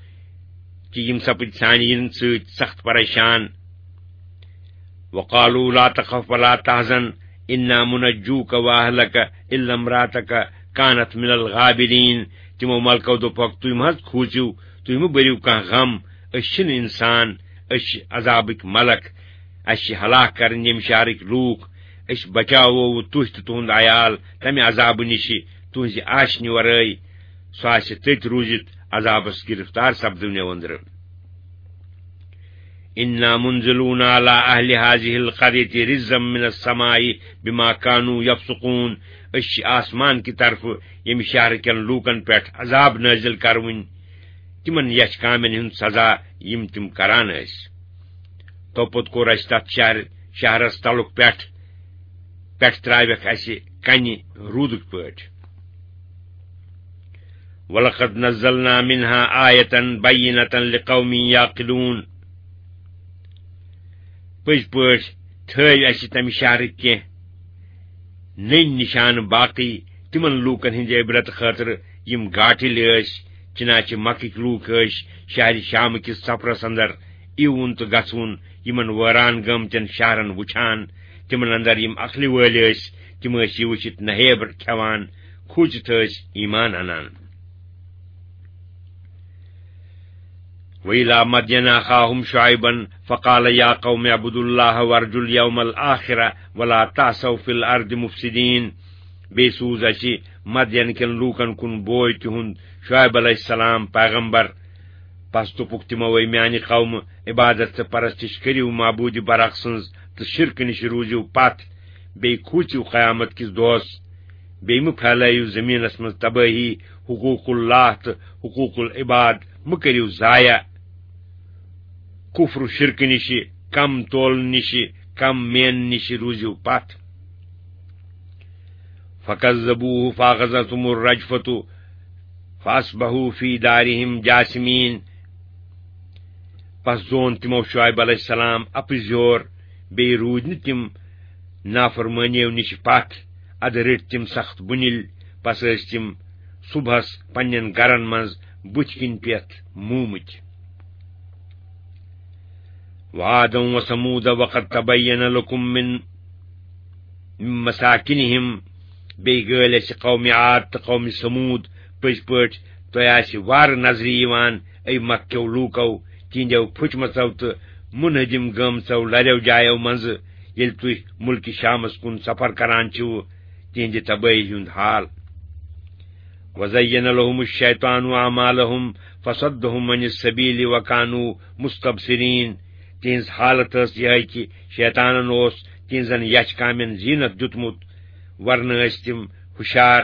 کہِ یِم سپٕدۍ سانہِ یِنہٕ سۭتۍ سخت پریشان، وقالوا لا تخف ولا تحزن انا منجوك واهلك الا امراتك كانت من الغابرين۔ تِمو ملکو دوٚپُکھ، تُہۍ مہ حظ کھوٗژِو، تُہۍ مہ بٔرِو کانٛہہ غم، أسۍ چھِنہٕ انسان، أسۍ چھِ عذابٕکۍ ملک، اَسہِ چھِ ہلاک کرٕنۍ ییٚمہِ شہرٕکۍ لوٗکھ، أسۍ بچاوو تُہۍ تہٕ تُہُنٛد عیال تمہِ عذابہٕ نِشہِ تُہنٛزِ آشنہِ ورٲے، سُہ آسہِ تٔتۍ روٗزِتھ عذابس گرفتار سپدنہٕ أنٛدرٕ۔ انا منزلون على اهل هذه القرية رجزا من السماء بما كانوا يفسقون۔ أسۍ چھِ آسمان کہِ طرفہٕ ییٚمہِ شہرٕ کٮ۪ن لوٗکن پٮ۪ٹھ عذاب نٲزِل کرٕوٕنۍ، تِمن یچھ کامٮ۪ن ہُنٛد سزا یِم تِم کران ٲسۍ۔ تو پوٚت کوٚر اَسہِ تتھ شہر، شہرس تلُک پٮ۪ٹھ، پٮ۪ٹھ ترٛاوٮ۪کھ اَسہِ کنہِ روٗدٕکۍ پٲٹھۍ۔ ولقد نزلنا منها آية بينة لقوم يعقلون۔ پٔزۍ پٲٹھۍ تھٲوۍ اَسہِ تمہِ شہرٕکۍ کینٛہہ نٔنۍ نِشانہٕ باقٕے تِمن لوٗکن ہٕنٛدِ عبرت خٲطرٕ، یِم گاٹھلۍ ٲسۍ۔ چنانچہ مکٕکۍ لوٗکھ ٲسۍ شہرِ شام کِس سفرس اندر یِوُن تہٕ گژھُن، یِمن وٲران گٲمتٮ۪ن شہرن وُچھان۔ تِمن اندر یِم عقلہِ وٲلۍ ٲسۍ، تِم ٲسۍ یہِ وُچھِتھ نہیب کھٮ۪وان، کھوٗژِتھ ٲسۍ ایمان انان۔ وَإِلَىٰ مَدْيَنَ أَخَاهُمْ شُعَيْبًا فَقَالَ يَا قَوْمِ اعْبُدُوا اللَّهَ وَارْجُوا الْيَوْمَ الْآخِرَ وَلَا تَعْثَوْا فِي الْأَرْضِ مُفْسِدِينَ۔ بیٚیہِ سوٗز اَسہِ مدینہٕ کٮ۪ن لوٗکن کُن بوے تِہُنٛد شعیب علیہ السلام پیغمبر۔ پس دوٚپُکھ تِمو، اے میانہِ قومہٕ، عبادت تہٕ پرستش کٔرِو معبوٗدِ برحق سٕنٛز تہٕ شرکہٕ نِش روٗزِو پتھ، بیٚیہِ کھوٗژِو قیامت کِس دۄہس، بیٚیہِ مہٕ پھیلٲیِو زٔمیٖنس منٛز تبٲہی، حقوق اللہ تہٕ حقوق العباد مہٕ کٔرِو ضایع۔ کفر و شرکہٕ نِشہِ، کم تولہٕ نِشہِ، کم مینہٕ نِشہِ روٗزِو پتھ۔ فَكَذَّبُوهُ فَأَخَذَتْهُمُ الرَّجْفَةُ فَأَصْبَحُوا فِي دَارِهِمْ جَاثِمِينَ۔ پس زون تِمو شعیب علیہ السلام اپٕزیور، بیٚیہِ روٗدۍ نہٕ تِم نافرمٲنیو نِش پتھ، ادٕ رٔٹۍ تِم سخت بُنِل، پس ٲسۍ تِم صبحس پننٮ۪ن گرن منٛز بُتھِ کِنۍ پٮ۪تھ موٗمٕتۍ۔ وَعَادًا وَثَمُودَ وَقَدْ تَبَيَّنَ لَكُم مِّن، مِّن مَّسَاكِنِهِمْ۔ بیٚیہِ گٲلۍ اَسہِ قومِ عاد تہٕ قومِ ثمود۔ پٔزۍ پٲٹھۍ تۄہہِ آسہِ وارٕ نظرِ یِوان، اے مکہٕ کیو لوٗکو، تِہنٛدیو پھُٹمژو تہٕ منہدم گٲمژو لریو جایو منٛزٕ، ییٚلہِ تُہۍ مُلکہِ شامس کُن سفر کران چھِو، تِہنٛدِ تبٲہی ہُنٛد حال۔ وَزَيَّنَ لَهُمُ الشَّيْطَانُ أَعْمَالَهُمْ فَصَدَّهُمْ عَنِ السَّبِيلِ وَكَانُوا مُسْتَبْصِرِينَ۔ تِہنٛز حالت ٲس یِہے کہِ شیطانن اوس تِہنٛزن یچھ کامٮ۪ن زینت دیُتمُت، ورنہٕ ٲسۍ تِم ہُشار،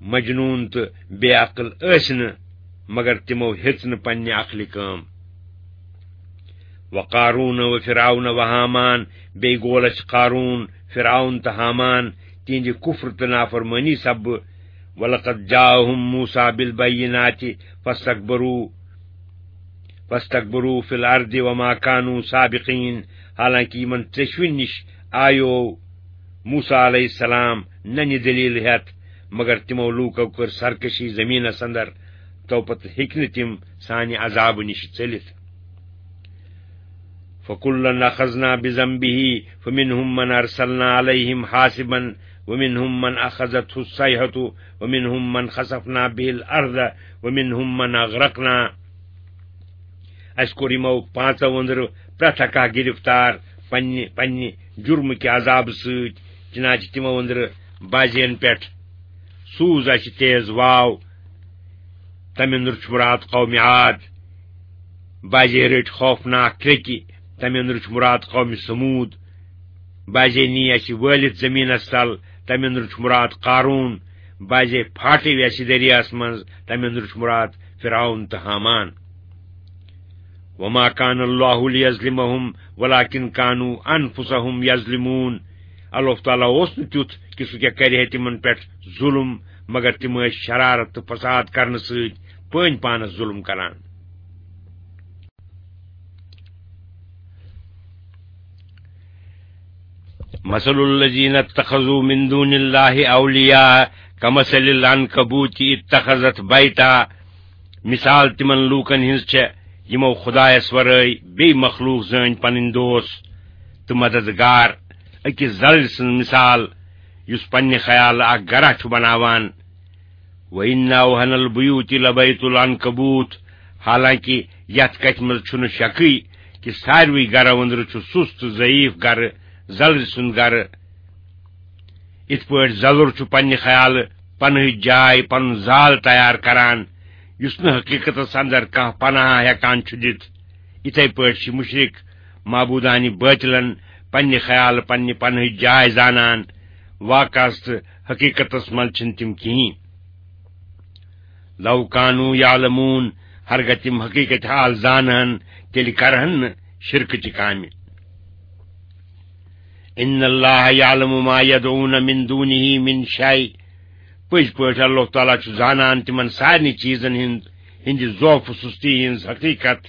مجنون تہٕ بے عقل ٲسۍ نہٕ، مگر تِمو ہیٚژ نہٕ پننہِ عقلہِ کٲم۔ وقارون و فرعون و ہامان، بیٚیہِ گول اَسہِ قارون، فرعون تہٕ ہامان، تِہنٛدِ کفر تہٕ نافرمٲنی سببہٕ۔ ولقد جاءهم موسى بالبينات فاستكبروا فاستكبروا في الأرض وما كانوا سابقين، حالانکہ یِمن ژٔشوٕنۍ نِش آیو موسیٰ علیہ السلام ننہِ دلیل ہیتھ، مگر تِمو لوٗکو کٔر سرکشی زمینس اندر، تو پتہٕ ہیٚکۍ نہٕ تِم سانہِ عذابہٕ نِش ژٔلِتھ۔ فكلا أخذنا بذنبه فمنهم من أرسلنا عليهم حاصبا ومنهم من أخذته الصيحة ومنهم من خسفنا به الأرض ومنهم من أغرقنا۔ اَسہِ کوٚر یِمو پانٛژو أنٛدرٕ پرٛٮ۪تھ اکھ گِرفتار پننہِ، پننہِ جُرمہٕ کہِ عذابہٕ سۭتۍ، چنانچہ تِمو أنٛدرٕ بعضین پٮ۪ٹھ سوٗز اَسہِ تیز واو، تَمہِ أنٛدرٕ چھُ مُراد قومِ عاد، بعضے رٔٹۍ خوفناک کرٛیٚکہِ، تَمہِ أنٛدرٕ چھُ مُراد قومِ ثموٗد، بعضے نی اَسہِ وٲلِتھ زٔمیٖنَس تل، تَمہِ أنٛدرٕ چھُ مُراد قارون، بعضے پھاٹے اَسہِ دٔریاہَس منٛز، تَمہِ أنٛدرٕ چھُ مُراد فرعون تہٕ ہامان۔ وما كان الله ليظلمهم ولكن كانوا أنفسهم يظلمون۔ اللہ تعالیٰ اوس نہٕ تیُتھ کہِ سُہ کیٛاہ کرِ ہے تِمن پٮ۪ٹھ ظُلم، مگر تِم ٲسۍ شرارت تہٕ فساد کرنہٕ سۭتۍ پٲنۍ پانس ظُلم کران۔ مثل الذين اتخذوا من دون الله أولياء كمثل العنكبوت اتخذت بيتا۔ مثال تِمن لوٗکن ہٕنٛز چھےٚ، یِمو خدایس ورٲے بیٚیہِ مخلوق زٲنۍ پنٕنۍ دوست تہٕ مددگار۔ أکِس زلرِ سٕنٛز مثال، یُس پننہِ خیالہٕ اکھ گرہ چھُ بناوان۔ وَإِنَّ أَوْهَنَ الْبُيُوتِ لَبَيْتُ الْعَنْكَبُوتِ، حالانکہ یتھ کتھِ منٛز چھُنہٕ شکٕے کہِ ساروٕے گرو أنٛدرٕ چھُ سُست تہٕ ضعیف گرٕ زلرِ سُنٛد گرٕ۔ یِتھ پٲٹھۍ زلُر چھُ پننہِ خیالہٕ پنٕہٕچ جاے، پنُن زال تیار کران، یُس نہٕ حقیقتس اندر کانٛہہ پناہ ہیکان چھُ دِتھ، یِتھے پٲٹھۍ چھِ مُشرِک معبوٗدانہِ بٲطِلن پننہِ خیالہٕ پننہِ پناہٕچ جاے زانان، واقعس تہٕ حقیقتس منٛز چھِنہٕ تِم کِہیٖنۍ۔ لو کانوا یعلمون، ہرگاہ تِم حقیقت حال زانہن، تیٚلہِ کرہن نہٕ شرکٕچہِ کامہِ۔ ان اللہ یعلم ما یدعون من دونہ من شیء، پٔزۍ پٲٹھۍ اللہ تعالیٰ چھُ زانان تِمن سارنٕے چیٖزن ہٕنٛد، ہٕنٛدِ ضعف و سُستی ہٕنٛز حقیقت،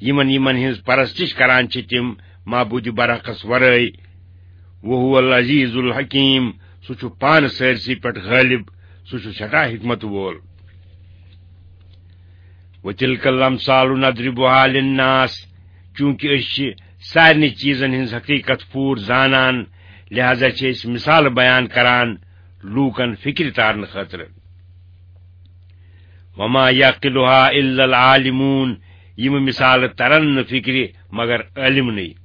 یِمن، یِمن ہٕنٛز پرستش کران چھِ تِم معبوٗدِ برحقس ورٲے۔ وہو العزیز الحکیم، سُہ چھُ پانہٕ سٲرسٕے پٮ۪ٹھ غٲلب، سُہ چھُ سٮ۪ٹھاہ حکمت وول۔ وتلک الامثال نضربها للناس، چونکہ أسۍ چھِ سارنٕے چیٖزن ہٕنٛز حقیقت پوٗرٕ زانان، لہذا چھِ أسۍ مثال بیان کران لوٗکن فکرِ تارنہٕ خٲطرٕ۔ وما یعقلها الا العالمون، یِم مثالہٕ ترن نہٕ فکرِ مگر عٲلمنٕے۔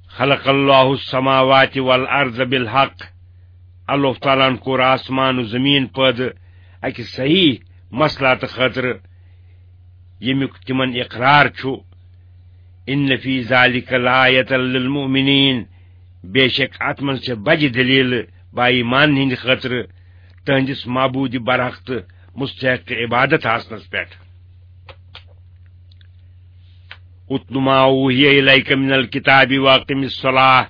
خلق اللہ السماوات والارض بالحق، اللہ تعالیٰ ہن کوٚر آسمان و زمین پٲدٕ اکہِ صحیح مسلاتہٕ خٲطرٕ، ییٚمیُک تِمن اقرار چھُ۔ ان فی ذلک لآیۃ للمؤمنین، بے شک اتھ منٛز چھےٚ بجہِ دلیل با ایمان ہٕنٛدِ خٲطرٕ، تہنٛدِس معبوٗدِ برحق تہٕ مستحق عبادت آسنس پٮ۪ٹھ۔ اتل ما اوحی الیک من الکتاب واقم الصلاۃ،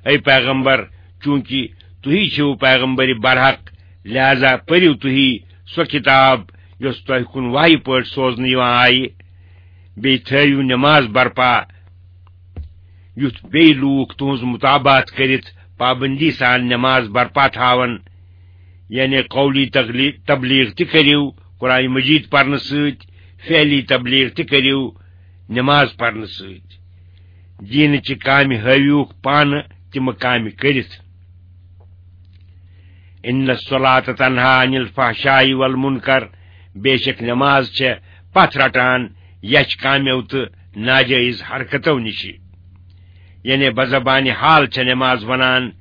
اے پیغمبر، چونکہ تُہی چھِو پیغمبر برحق، لہذا پٔرِو تُہی سۄ کتاب یۄس تۄہہِ کُن وحی پٲٹھۍ سوزنہٕ یِوان آیہِ، بیٚیہِ تھٲوِو نماز برپا، یُتھ بیٚیہِ لوٗکھ تُہنٛز متابعت کٔرِتھ پابندی سان نماز برپا تھاون، یعنی قولی تغلی-، تبلیغ تہِ کٔرِو قرآن مجید پرنہٕ سۭتۍ، فعلی تبلیغ تہِ کٔرِو نماز پرنہٕ سۭتۍ۔ دیٖنٕچہِ کامہِ ہٲوِوکھ پانہٕ تِمہٕ کامہِ کٔرِتھ۔ ان الصلاۃ تنہا عن الفحشاء والمنکر، بے شک نماز چھےٚ پتھ رٹان یچھ کامیو تہٕ ناجٲیز حرکتو نِشہِ۔ یعنی بزبانِ حال چھےٚ نماز ونان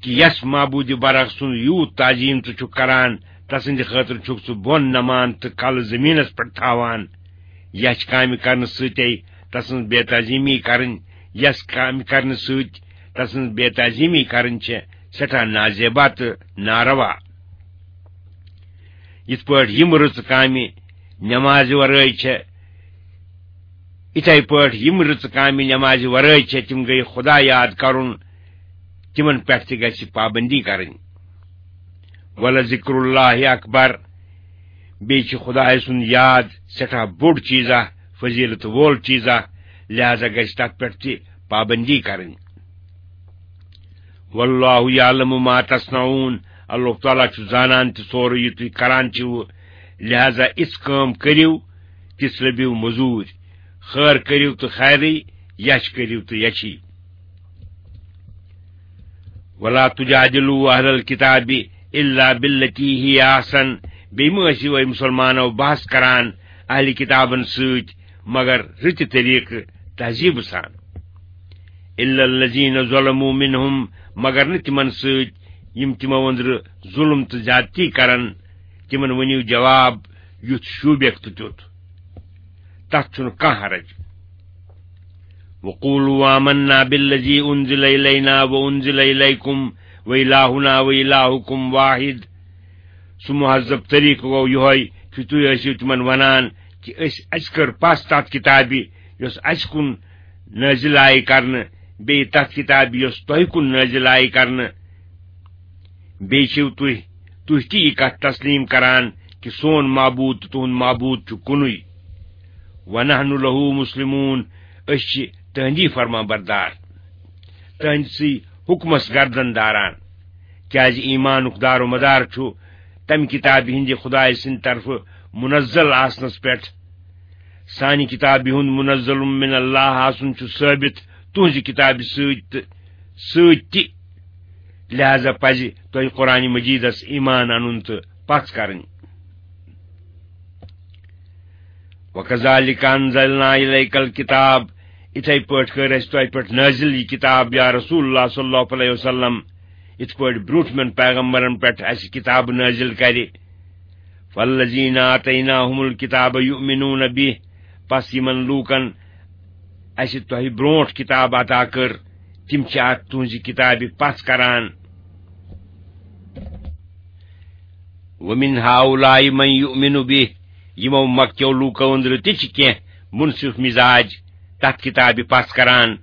کہِ یس معبوٗدِ برحق سُنٛد یوٗت تعظیم ژٕ چھُکھ کران، تسٕنٛدِ خٲطرٕ چھُکھ ژٕ بۄن نمان تہٕ کلہٕ زٔمیٖنس پٮ۪ٹھ تھاوان۔ یچھ کامہِ کرنہٕ سۭتے تسٕنٛز بے تعظیمی کرٕنۍ، یس کامہِ کرنہٕ سۭتۍ تسٕنٛز بے تعظیمی کرٕنۍ چھےٚ سٮ۪ٹھاہ نازیبا تہٕ ناروا۔ یِتھ پٲٹھۍ یِم رٕژٕ کامہِ نمازِ ورٲے چھےٚ، یِتھے پٲٹھۍ یِم رٕژٕ کامہِ نمازِ ورٲے چھےٚ، تِم گٔیہِ خدا یاد کرُن، تِمن پٮ۪ٹھ تہِ گژھِ پابندی کرٕنۍ۔ ولذکر اللہ اکبر، بیٚیہِ چھُ خدایہِ سُنٛد یاد سٮ۪ٹھاہ بوٚڑ چیٖزا، فضیلت وول چیٖزا، لہذا گژھِ تتھ پٮ۪ٹھ تہِ پابندی کرٕنۍ۔ واللہ یعلم ما تصنعون، اللہ تعالیٰ چھُ زانان تہِ سورُے یہِ تُہۍ کران چھِو، لہذا اِژھ کٲم کٔرِو، تِژھ لٔبِو مٔزوٗرۍ، خٲر کٔرِو تہٕ خیرٕے، یَچھ کٔرِو تہٕ یَچھی۔ ولا تجادلوا اہل الکتاب الا بالتی ہی احسن، بیٚیہِ مہٕ ٲسِو اے مُسلمانو بحث کران اہلِ کِتابن سۭتۍ مگر رٕتہِ طریٖقہٕ، تہذیٖبہٕ سان۔ الا الذین ظلموا منہم، مگر نہٕ تِمن سۭتۍ یِم تِمو أنٛدرٕ ظلم تہٕ زیادتی کرن، تِمن ؤنِو جواب یُتھ شوٗبیکھ تہٕ تیُتھ، تتھ چھُنہٕ کانٛہہ حرج۔ وقولوا آمنا بالذی انزل الینا وانزل الیکم والہنا والہکم واحد۔ سُہ مہذب طریٖقہٕ گوٚو یِہوٚے کہِ تُہۍ ٲسِو تِمن ونان کہِ أسۍ، اَسہِ کٔر پژھ تتھ کِتابہِ یۄس اَسہِ کُن نٲزِل آیہِ کرنہٕ، بیٚیہِ تتھ کِتابہِ یۄس تۄہہِ کُن نٲزِل آیہِ کرنہٕ۔ بیٚیہِ چھِو تُہۍ، تُہۍ تہِ یہِ کتھ تسلیٖم کران کہِ سون معبوٗد تہٕ تُہُنٛد معبوٗد چھُ کُنُے۔ ونحن لہ مسلمون، أسۍ چھِ تٕہٕنٛدی فرما بردار، تٕہٕنٛدسٕے حُکمس گردن داران، کیازِ ایمانُک دار و مدار چھُ تمہِ کِتابہِ ہٕنٛدِ خدایہِ سٕنٛدِ طرفہٕ منزل آسنس پٮ۪ٹھ۔ سانہِ کِتابہِ ہُنٛد منزل من اللہ آسُن چھُ ثٲبت تُہٕنٛزِ کِتابہِ سۭتۍ تہٕ سۭتۍ تہِ، لہذا پزِ تۄہہِ قرآن مجیدس ایمان انُن تہٕ پژھ کرٕنۍ۔ وَكَذَلِكَ أَنزَلْنَا إِلَيْكَ الْكِتَابَ، یِتھے پٲٹھۍ کٔر اَسہِ تۄہہِ پٮ۪ٹھ نٲزِل یہِ کِتاب، یا رسول اللہ صلی اللہ علیہ وسلم، یِتھ پٲٹھۍ برٛونٛٹھمٮ۪ن پیغمبرن پٮ۪ٹھ اَسہِ کِتاب نٲزِل کرِ۔ فَالَّذِينَ آتَيْنَاهُمُ الْكِتَابَ يُؤْمِنُونَ بِهِ، پس یِمن لوٗکن اَسہِ تۄہہِ برٛونٛٹھ کِتاب عطا کٔر، تِم چھِ اَتھ تُہٕنٛزِ کِتابہِ پژھ کران۔ وَمِنْ هَؤُلَاءِ مَنْ يُؤْمِنُ بِهِ، یِمو مکیو لوٗکو أنٛدرٕ تہِ چھِ کینٛہہ مُنصِف مِزاج تَتھ کِتابہِ پژھ کران۔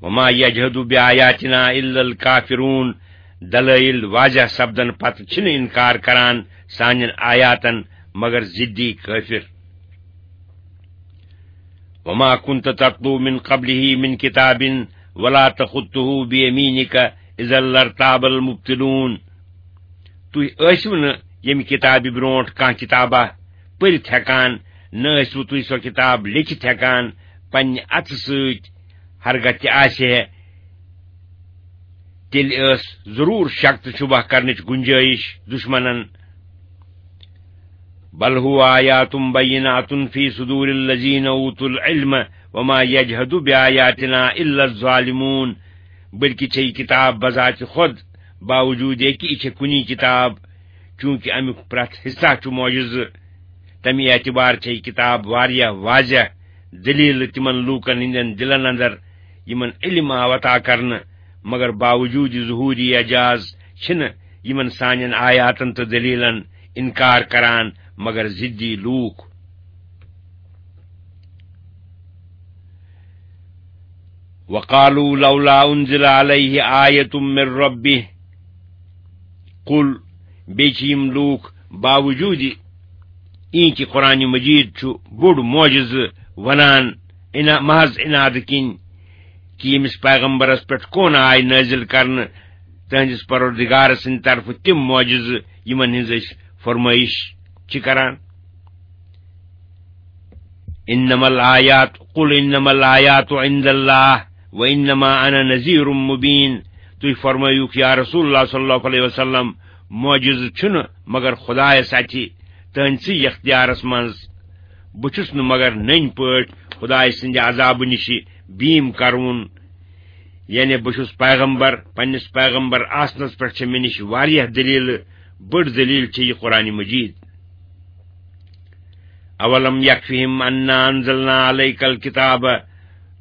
وَمَا يَجْحَدُ بِآيَاتِنَا إِلَّا الْكَافِرُونَ، دلٲیِل واضح سپدن پتہٕ چھِنہٕ اِنکار کران سانٮ۪ن آیاتن مگر ضدی کٲفِر۔ وَمَا كُنْتَ تَتْلُو مِنْ قَبْلِهِ مِنْ كِتَابٍ وَلَا تَخُطُّهُ بِيَمِينِكَ إِذًا لَارْتَابَ الْمُبْطِلُونَ۔ تُہۍ ٲسِو نہٕ ییٚمہِ کِتابہِ برٛونٛٹھ کانٛہہ کِتابہ پٔرِتھ ہٮ۪کان، نہ ٲسِو تُہۍ سۄ کِتاب لیٚکھِتھ ہٮ۪کان پننہِ اَتھٕ سۭتۍ۔ ہرگاہ تہِ آسہِ ہے، تیٚلہِ ٲس ضروٗر شک تہٕ شبہ کرنٕچ گُنجٲیِش دُشمنن۔ بل هو آیات بینات فی صدور الذین اوتوا العلم وما یجحد بآیاتنا الا الظالمون۔ بلکہ چھے یہ کتاب بذات خود، باوجود یہ کہ یہ چھے کُنی کتاب، چونکہ امیُک پرٛتھ حصہ چھُ معجزٕ، تمہِ اعتبار چھے یہ کتاب واریاہ واضح دلیل تمن لوکن ہندین دلن اندر یمن علم آو عطا کرنہٕ، مگر باوجود ظہوری اعجاز چھِنہٕ یمن سانٮ۪ن آیاتن تہٕ دلیلن انکار کران مگر ضدی لوٗکھ۔ وقالوا لولا انزل عليه آية من ربه۔ قل، بیٚیہِ چھِ یِم لوٗکھ باوجود یہِ کہِ قرآن مجید چھُ بوٚڑ معجزٕ ونان، انا-، محض انادٕ کِنۍ کہِ ییٚمِس پیغمبرس پٮ۪ٹھ کون آے نٲزِل کرنہٕ تہنٛدِس پروردگار سٕنٛدِ طرفہٕ تِم معجزٕ یِمن ہٕنٛز أسۍ فرمٲیش چھِ کران۔ انما الآیات، قل انما الآیات عند اللہ وانما انا نذیر مبین۔ تُہۍ فرمٲیِو یا رسول اللہ صلی اللہ علیہ وسلم، معجزٕ چھُنہٕ مگر خدایس اَتھِ، تہنٛدسٕے یختیارس منٛز۔ بہٕ چھُس نہٕ مگر نٔنۍ پٲٹھۍ خدایہِ سٕنٛدِ عذابہٕ نِشہِ بیٖم کرون۔ یعنی بہٕ چھُس پیغمبر، پننِس پیغمبر آسنس پٮ۪ٹھ چھےٚ مےٚ نِش واریاہ دلیلہٕ، بٔڑ دلیل چھےٚ یہِ قرآن مجید۔ اولم یکفہم انا انزلنا علیک الکتاب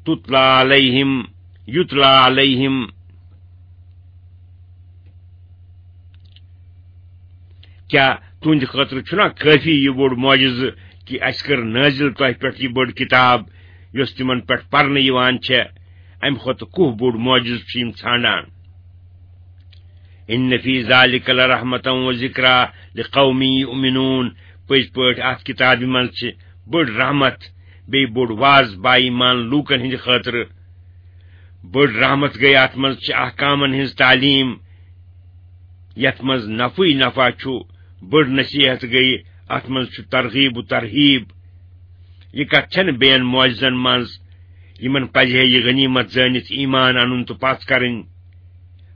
تتلی علیہم، یتلی علیہم۔ کیا تُہنٛدِ خٲطرٕ چھُنا کٲفی یہِ بوٚڑ معجزٕ کہِ اسہِ کٔر نٲزِل تۄہہِ پٮ۪ٹھ یہِ بٔڑ کتاب، یۄس تِمن پٮ۪ٹھ پرنہٕ یِوان چھےٚ، امہِ کھۄتہٕ کُہ بوٚڑ معجزٕ چھُ یِم ژھانڈان؟ ان فی ذلک لرحمة و ذکری لقوم یؤمنون۔ پٔزۍ پٲٹھۍ اتھ کتابہِ منٛز چھِ بٔڑ رحمت، بیٚیہِ بوٚڑ واز با ایمان لوٗکن ہٕنٛدِ خٲطرٕ۔ بٔڑ رحمت گٔے اتھ منٛز چھِ احکامن ہٕنٛز تعلیٖم، یتھ منٛز نفعٕے نفع چھُ۔ بٔڑ نصیحت گٔے اتھ منٛز چھُ ترغیب و ترہیب۔ یہِ کتھ چھنہٕ بیٚین معجزن منٛز۔ یِمن پزِ ہے یہِ غنیمت زٲنِتھ ایمان انُن تہٕ پژھ کرٕنۍ۔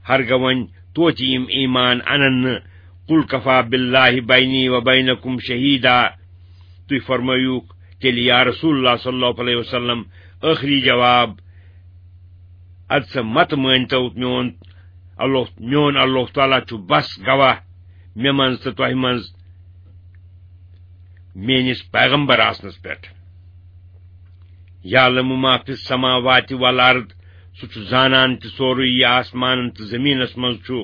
ہرگاہ وۄنۍ توتہِ یِم ایمان انن نہٕ۔ قل کفی باللہ بینی و بینکم شہیدا۔ تُہۍ فرمٲیوکھ تیٚلہِ یا رسول اللہ صلی اللہ علیہ وسلم ٲخری جواب، ادٕ سا مت مٲنۍتو میون اللہ، میون اللہ تعالیٰ چھُ بس گواہ مےٚ منٛز تہٕ تۄہہِ منٛز میٲنِس پیغمبر آسنس پٮ۪ٹھ۔ یعلم ما فی السماوات والارض، سُہ چھُ زانان تہِ سورُے یہِ آسمانن تہٕ زٔمیٖنس منٛز چھُ۔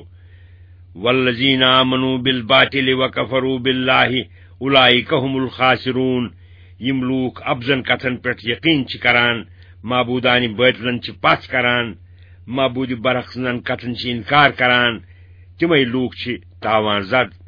والذین آمنوا بالباطل وکفروا باللہ اولئک هم الخاسرون۔ یِم لوٗکھ اپزن کتھن پٮ۪ٹھ یقین چھِ کران، معبودان باطلن چھِ پژھ کران، معبود برحق سٕنٛزن کتھن چھِ انکار کران، تِمے لوٗکھ چھِ تاوان زد۔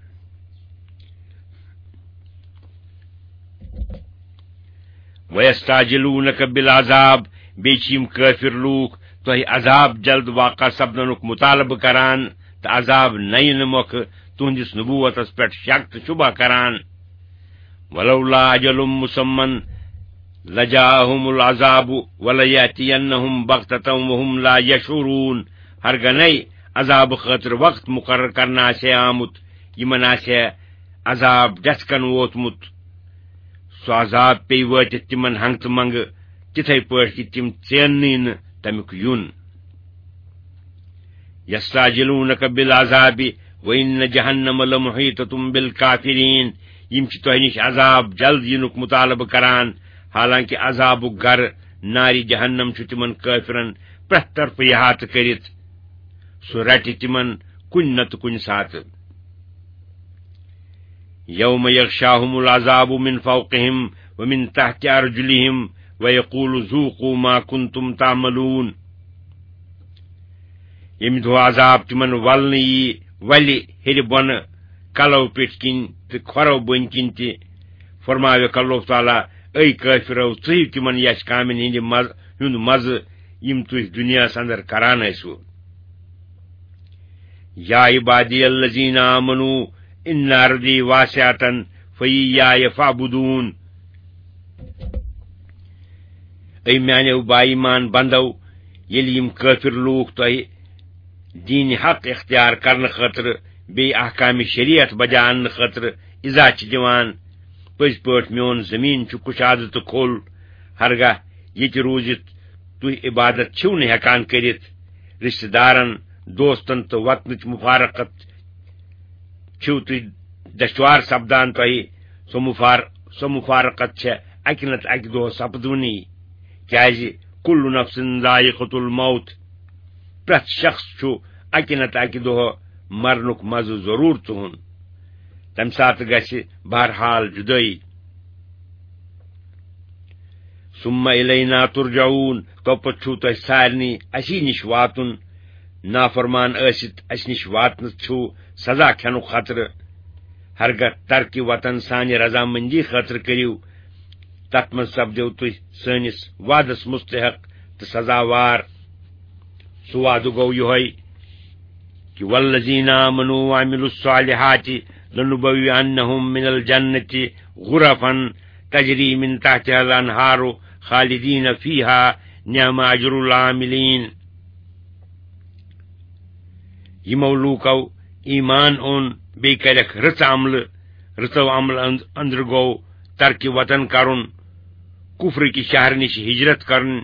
ویستعجلونک بالعذاب، بیٚیہِ چھِ یِم کٲفِر لوٗکھ تۄہہِ عذاب جلد واقع سپدنُک مطالبہٕ کران تہٕ عذاب نَیہِ نہٕ مۄکھٕ تُہنٛدِس نبوتس پٮ۪ٹھ شک تہٕ شبہ کران۔ ولولا اجل مسمى لجاءهم العذاب وليأتينهم بغتة وهم لا يشعرون۔ ہرگنے عذاب خٲطرٕ وقت مقرر کرنہٕ آسہِ ہے آمُت، یِمن آسہِ ہے عذاب ڈٮ۪ژھ کن ووتمُت۔ سُہ عذاب پیٚیہِ وٲتِتھ تِمن ہنٛگتہٕ منٛگہٕ، تِتھے پٲٹھۍ کہِ تِم ژیننٕے نہٕ تمیُک یُن۔ یستعجلونک بالعذاب وان جہنم لمحیطة بالکافرین۔ یِم چھِ تۄہہِ نِش عذاب جلد یِنُک مطالبہٕ کران، حالانکہِ عذابُک گرٕ نارِ جہنم چھُ تِمن کٲفرن پرٛٮ۪تھ طرفہٕ احاطہٕ کٔرِتھ۔ سُہ رٹہِ تِمن کُنہِ نتہٕ کُنہِ ساتہٕ۔ یوم یغشاہم العذاب من فوقہم ومن تحت ارجلہم ویقول ذوقوا ما کنتم تعملون۔ ییٚمہِ دۄہ عذاب تِمن ولنہٕ یی، ولہِ ہیٚرِ بۄنہٕ، کلو پیٚٹھۍ کِنۍ تہٕ کھۄرو بٔنۍ کِنۍ تہِ، فرماوکھ اللہ تعالیٰ، اے کٲفرو، ژٕیِو تِمن یَس کامٮ۪ن ہٕنٛدِ مز-، ہُنٛد مزٕ، یِم تُہۍ دُنیاہس اندر کران ٲسِو۔ یا عبادی الذین آمنوا ان ارضی واسعة فاییاہ فاعبدون۔ اے میانیو با ایمان بندو، ییٚلہِ یِم کٲفِر لوٗکھ تۄہہِ دیٖنِ حق اختیار کرنہٕ خٲطرٕ بیٚیہِ احکامِ شریعت بجا اننہٕ خٲطرٕ اِزا چھِ دِوان، پٔزۍ پٲٹھۍ میون زٔمیٖن چھُ کُشادٕ تہٕ کھوٚل، ہرگاہ ییٚتہِ روٗزِتھ تُہۍ عبادت چھِو نہٕ ہٮ۪کان کٔرِتھ، رشتہٕ دارن، دوستن تہٕ وطنٕچ مفارقت چھِو تُہۍ دشوار سپدان تۄہہِ۔ سۄ مفار-، سۄ مفارقت چھےٚ اکہِ نتہٕ اکہِ دۄہ سپدوٕنی، کیازِ کل نفس ذائقة الموت، پرٛٮ۪تھ شخص چھُ اکہِ نتہٕ اکہِ دۄہ مرنُک مزٕ ضروٗر تُہُن۔ تمہِ ساتہٕ گژھِ بہرحال جدٲیی۔ ثم الینا ترجعون، توپتہٕ چھُو تۄہہِ سارنٕے اسی نِش واتُن۔ نافرمان ٲسِتھ اَسہِ نِش واتنَس چھُو سزا کھٮ۪نُک خطرٕ۔ ہرگاہ ترکِ وطن سانہِ رضامندی خٲطرٕ کٔرِو، تَتھ منٛز سپدِو تُہۍ سٲنِس وعدَس مستحق تہٕ سزاوار۔ سُہ وعدٕ گوٚو یِہوٚے کہِ والذین آمنوا وعملوا الصالحات لنبوئنهم من الجنة غرفا تجری من تحتها الانہار خالدین فیہا نعم اجر العاملین۔ یِمو لوٗکو ایمان اوٚن، بیٚیہِ کَرٮ۪کھ رٕژ عملہٕ، رٕژو عملہٕ أنٛد-، أنٛدرٕ گوٚو ترکِ وطن کَرُن، کُفرٕکہِ شہرٕ نِش ہجرت کَرُن،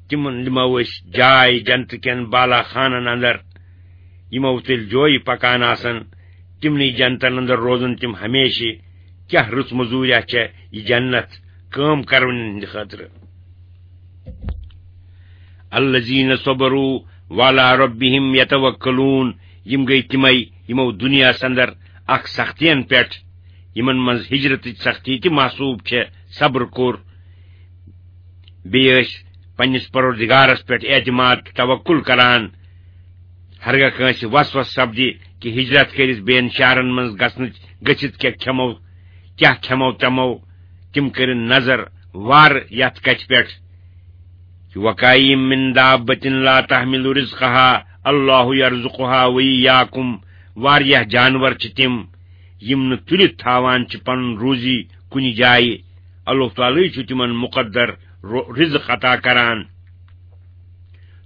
تِمن دِمو أسۍ جاے جنتہٕ کٮ۪ن بالا خانن اندر، یِمو تیٚلہِ جویہِ پکان آسن، تِمنٕے جنتن اندر روزن تِم ہمیشہِ۔ کیاہ رٕژ مزوٗریا چھےٚ یہِ جنت کٲم کرونٮ۪ن ہٕنٛدِ خٲطرٕ۔ الذین صبروا وعلی ربہم یتوکلون، یِم گٔے تِمے یِمو دُنیاہس اندر اکھ سختین پٮ۪ٹھ، یِمن منٛز ہجرتٕچ سختی تہِ محسوٗب چھےٚ، صبر کوٚر۔ بیٚیہِ ٲسۍ پننِس پروردگارس پٮ۪ٹھ اعتماد تہٕ توکل کران۔ ہرگاہ کٲنٛسہِ وسوسہٕ سپدِ کہِ ہجرت کٔرِتھ بیٚین شہرن منٛز گژھنٕچ، گٔژھِتھ کیٛاہ کھٮ۪مو، کیٛاہ کھٮ۪مو چٮ۪مو، تِم کٔرِن نظر وارٕ یتھ کتھِ پٮ۪ٹھ، وَكَأَيِّن مِّن دَابَّةٍ لَا تَحْمِلُ رِزْقَهَا اللَّهُ يَرْزُقُهَا وَإِيَّاكُمْ۔ واریاہ جانور چھِ تِم، یِم نہٕ تُلِتھ تھاوان چھِ پنُن روزی کُنہِ جایہِ۔ اللہ تعالیٰ چھُ تِمن مقدر رو-، رزق عطا کران۔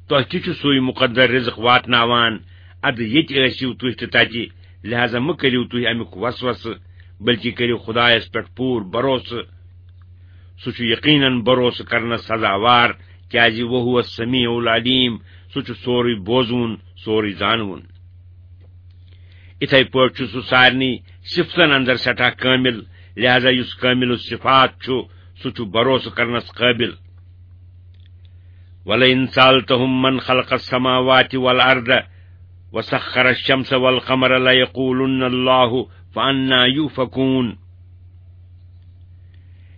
تۄہہِ تہِ چھُ سُے مقدر رزق واتناوان۔ اَدٕ ییٚتہِ ٲسِو تُہۍ تہٕ تَتہِ، لہذا مہٕ کٔرِو تُہۍ اَمیُک وسوسہٕ، بلکہِ کٔرِو خدایس پٮ۪ٹھ پوٗرٕ بھروسہٕ۔ سُہ چھُ یقیناً بھروسہٕ کرنس سزاوار، کیازِ وَهُوَ السَّمِيعُ الْعَلِيمُ، سُہ چھُ سورُے بوزوُن، سورُے زانوُن۔ اِتھے پٲٹھۍ چھُ سُہ سارنٕے صفتن اندر سٮ۪ٹھاہ کٲمِل، لہذا یُس کٲمِل الصفات چھُ، سُہ چھُ بھروسہٕ کرنس قٲبِل۔ وَلَئِن سَأَلْتَهُم مَّنْ خَلَقَ السَّمَاوَاتِ وَالْأَرْضَ وَسَخَّرَ الشَّمْسَ وَالْقَمَرَ لَيَقُولُنَّ اللَّهُ فَأَنَّىٰ يُؤْفَكُونَ۔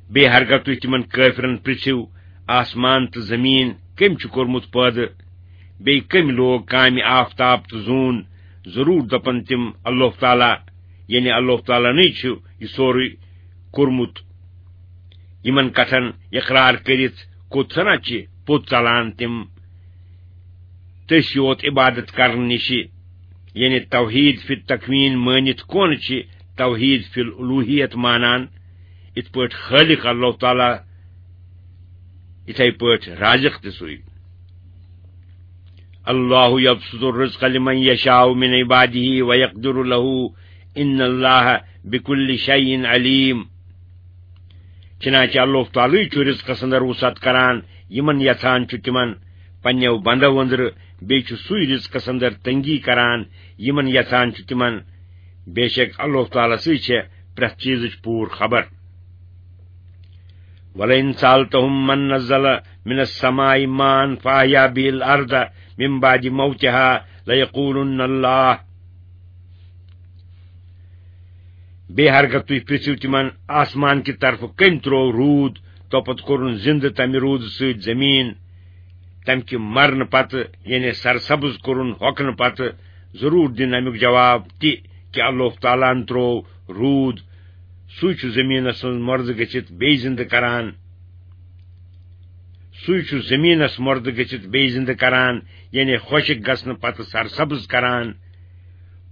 بیٚیہِ ہرگاہ تُہۍ تِمن کٲفرن پرژھِو، آسمان تہٕ زمیٖن کٔمۍ چھُ کوٚرمُت پٲدٕ، بیٚیہِ کٔمۍ لوگ کامہِ آفتاب تہٕ زوٗن، ضروٗر دپن تِم، اللہ تعالیٰ، یعنی اللہ تعالیٰ نٕے چھُ یہِ سورُے کوٚرمُت۔ یِمن کتھن اقرار کٔرِتھ کوٚت سنا چھِ پوٚت ژلان تِم؟ تٔسۍ یوت عبادت کرنہٕ نِشہِ، یعنی توحید فی التکوین مٲنِتھ کون چھِ توحید فی الالوہیت مانان؟ یِتھ پٲٹھۍ خالق اللہ تعالیٰ، یِتھے پٲٹھۍ رازق تہِ سُے۔ اللہ یبسط الرزق لمن یشاء من عباده ویقدر له، ان اللہ بکل شیء علیم۔ چنانچہ اللہ تعالیٰ چھُ رزقس اندر وسعت کران، یِمن یژھان چھُ تِمن پننیو بندو اندرٕ، بیٚیہِ چھُ سُے رزقس اندر تنگی کران، یِمن یژھان چھُ تِمن۔ بے شک اللہ تعالیٰ سٕے چھےٚ پرٛٮ۪تھ چیزٕچ پوٗرٕ خبر۔ وَلَئِن سَأَلْتَهُم مَّن نَّزَّلَ مِنَ السَّمَاءِ مَاءً فَأَحْيَا بِهِ الْأَرْضَ مِن بَعْدِ مَوْتِهَا لَيَقُولُنَّ اللَّهُ۔ بیٚیہِ ہرگاہ تُہۍ پرٛژھِو تِمن، آسمان کہِ طرفہٕ کٔمۍ ترٛوو روٗد، توپتہٕ کوٚرُن زِندٕ تَمہِ روٗدٕ سۭتۍ زٔمیٖن، تَمہِ کہِ مرنہٕ پتہٕ، یعنی سرسبز کوٚرُن ہۄکھنہٕ پتہٕ، ضروٗر دِن اَمیُک جواب تہِ کہِ اللہ تعالیٰ ہن ترٛوو روٗد۔ سُے چھُ زٔمیٖنَس منٛز مۄردٕ گٔژھِتھ بیٚیہِ زِندٕ کران۔ سُے چھُ زٔمیٖنَس مۄردٕ گٔژھِتھ بیٚیہِ زِندٕ کران، یعنی خۄشٕک گژھنہٕ پتہٕ سرسبز کران۔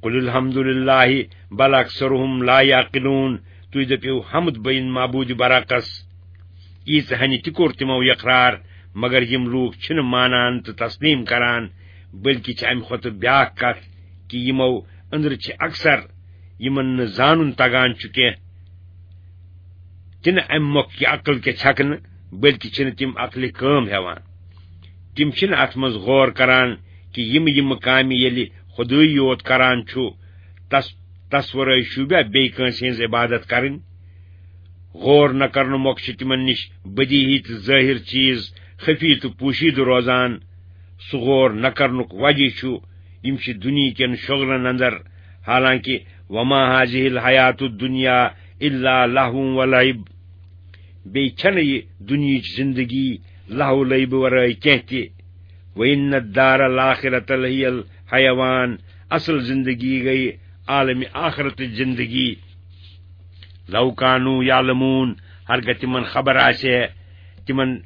قل الحمد للہ بل اکثرهم لا یعقلون۔ تُہۍ دٔپِو، حمد بین معبود برحقس۔ ییٖژ ہنہِ تہِ کوٚر تِمو یقرار، مگر یِم لوٗکھ چھِنہٕ مانان تہٕ تسلیم کران، بلکہِ چھِ امہِ کھۄتہٕ بیاکھ کتھ کہِ یِمو أنٛدرٕ چھِ اکثر، یِمن نہٕ زانُن تگان چھُ کینٛہہ، تِنہٕ امہِ مۄکھٕ کہِ عقل کیٛاہ چھکنہٕ، بلکہِ چھِنہٕ تِم عقلہِ کٲم ہٮ۪وان۔ تِم چھِنہٕ اتھ منٛز غور کران کہِ یِم یِم کامہِ ییٚلہِ خۄدٕے یوت کران چھُ، تس، تس ورٲے شوٗبیا بیٚیہِ کٲنٛسہِ ہٕنٛز عبادت کرٕنۍ؟ غور نہ کرنہٕ مۄکھٕ چھِ تِمن نِش بدیہی تہٕ ظٲہِر چیٖز خفی تہٕ پوشیدٕ روزان۔ سُہ غور نہ کرنُک وجہ چھُ، یِم چھِ دُنیہکٮ۪ن شۄغلن اندر، حالانکہ وما هذه الحیات الدنیا الا لهو ولعب۔ بیٚیہِ چھنہٕ یہِ دُنیہٕچ زندگی لہو لعبہٕ ورٲے کینٛہہ تہِ۔ وَإِنَّ الدَّارَ الْآخِرَةَ لَهِيَ الْحَيَوَانُ۔ اصل زندگی گٔیہِ عالمِ آخرتٕچ زندگی۔ لَوْ كَانُوا يَعْلَمُونَ، ہرگاہ تِمن خبر آسہِ ہے، تِمن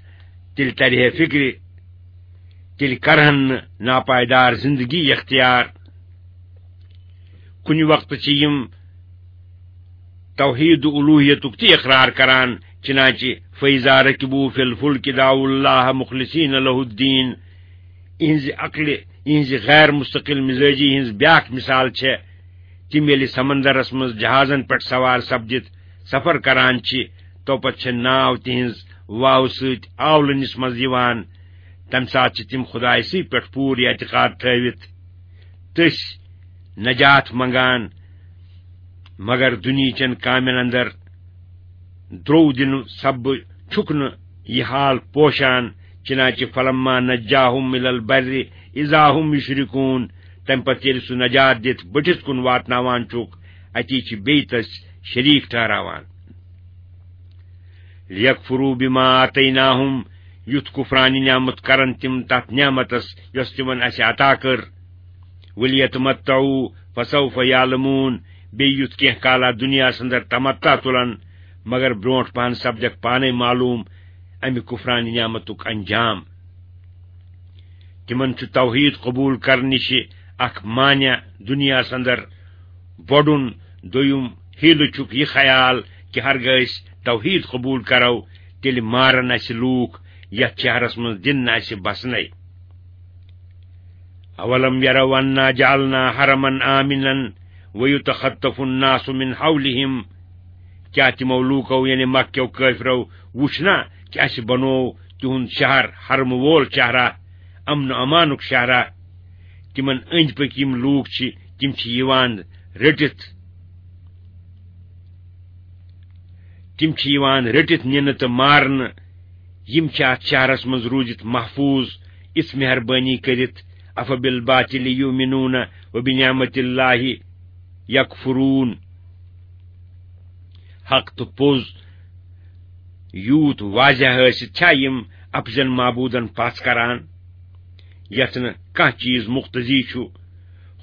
تیٚلہِ ترِ ہے فکرِ، تیٚلہِ کرہن نہٕ ناپائیدار زندگی اختیار۔ کُنہِ وقتہٕ چھِ یِم توحید الوہیتُک تہِ اقرار کران، چنانچہ فَإِذَا رَكِبُوا فِي الْفُلْكِ دَعَوُا اللَّهَ مُخْلِصِينَ لَهُ الدِّينَ۔ یِہنزِ عقلہِ، یِہنزِ غیر مستقل مزاجی ہٕنز بیاکھ مثال چھےٚ، تِم ییٚلہِ سمندرس منز جہازن پٮ۪ٹھ سوار سپدِتھ سفر کران چھِ، توپتہٕ چھےٚ ناو تِہنز واوٕ سۭتۍ آولٕنِس منز یِوان، تمہِ ساتہٕ چھِ تِم خدایسٕے پٮ۪ٹھ پوٗرٕ اعتقاد تھٲوِتھ تٔسۍ نجات منگان، مگر دُنیہچٮ۪ن کامٮ۪ن اندر درو دِنہٕ سببہٕ چھُکھ نہٕ یہِ حال پوشان، چنانچہ فَلَمَّا نَجَّاهُمْ إِلَى الْبَرِّ إِذَا هُمْ يُشْرِكُونَ، تمہِ پتہٕ ییٚلہِ سُہ نجات دِتھ بٔٹھِس کُن واتناوان چھُکھ، اتی چھِ بیٚیہِ تٔسۍ شریٖک ٹھہراوان۔ لِيَكْفُرُوا بِمَا آتَيْنَاهُمْ، یُتھ کفرانِ نعمت کرن تِم تتھ نعمتس یۄس تِمن اسہِ عطا کٔر۔ وَلْيَتَمَتَّعُوا فَسَوْفَ يَعْلَمُونَ۔ بیٚیہِ یُتھ کینٛہہ کالا دُنیاہس اندر تمتع تُلن، مگر برونٹھ پہن سپدکھ پانے معلوم امہِ کفرانِ نعمتُک انجام۔ تِمن چھُ توحید قبول کرنہٕ نِشہِ اکھ مانع دُنیاہس اندر بۄڈُن۔ دوٚیُم، حیلہٕ چھُکھ یہِ خیال کہِ ہرگاہ أسۍ توحید قبول کرو، تیٚلہِ مارن اسہِ لوٗکھ، یتھ شہرس منٛز دِن نہٕ اسہِ بسنے۔ اولم یروا انا جعلنا حرما آمنا ویتخطف الناس من حولهم۔ کیا تِمو لوٗکو، یعنی مکہ کیو کٲفرو، وُچھ نا کہِ اسہِ بنوو تِہُنٛد شہر حرمہٕ وول شہرا، امن و امانُک شہرا؟ تِمن أنٛدۍ پٔکۍ یِم لوٗکھ چھِ، تِم چھِ یِوان رٔٹِتھ، تِم چھِ یِوان رٔٹِتھ نِنہٕ تہٕ مارنہٕ۔ یِم چھِ اتھ شہرس منٛز روٗزِتھ محفوٗظ، اِژھ مہربٲنی کٔرِتھ۔ افبالباطل یؤمنون وبنعمت اللہ یکفرون۔ حق تہٕ پوٚز یوٗت واضح ٲسِتھ چھا یِم اپزن معبوٗدن پژھ کران، یتھ نہٕ کانٛہہ چیٖز مقتضی چھُ؟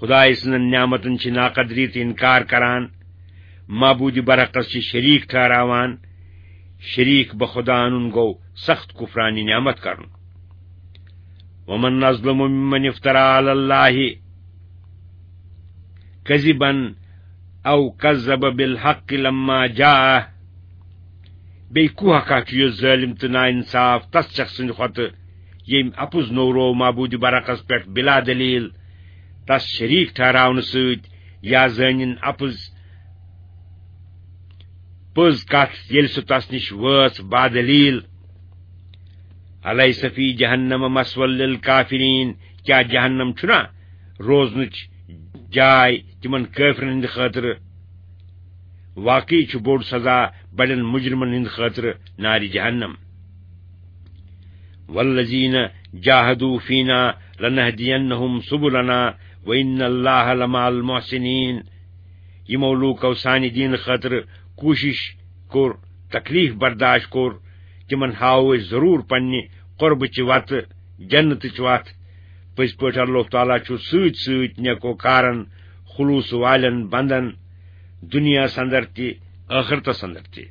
خدایہِ سٕنٛزن نعمتن چھِ ناقدری تہٕ انکار کران، معبوٗدِ برحقس چھِ شریٖک ٹھہراوان۔ شریٖک بخدا انُن گوٚو سخت کفرانِ نعمت کرُن۔ ومن اظلم ممن افترى على الله كذبا او كذب بالحق لما جاءه۔ بیٚیہِ کُس ہا چھُ یُس ظٲلِم تہٕ ناانصاف تس شخص سٕنٛدِ کھۄتہٕ، ییٚمۍ اپُز نوروو معبوٗدِ برحقس پٮ۪ٹھ بلا دلیل، تس شریٖک ٹھہراونہٕ سۭتۍ، یا زٲنِن اپُز پٔز کتھ، ییٚلہِ سُہ تس نِش وٲژ بادلیل۔ الیس فی جہنم مثوی للکافرین، کیا جہنم چھُنا روزنٕچ جاے تِمن کٲفرن ہٕنٛدِ خٲطرٕ؟ واقعی چھُ بوٚڑ سزا بڑٮ۪ن مجرمن ہٕنٛدِ خٲطرٕ نارِ جہنم۔ والذین جاہدوا فینا لنہدینہم سبلنا وان اللہ لمع المحسنین۔ یِمو لوٗکو سانہِ دیٖنہٕ خٲطرٕ کوٗشِش کوٚر، تکلیف برداشت کوٚر، تِمن ہاوو أسۍ ضروٗر پننہِ قربٕچہِ وتہٕ، جنتٕچ وتھ۔ پٔزۍ پٲٹھۍ اللہ تعالیٰ چھُ سۭتۍ سۭتۍ نیکوکارن، خلوص والٮ۪ن بندن، دُنیاہس اندر تہِ، ٲخرتس اندر تہِ۔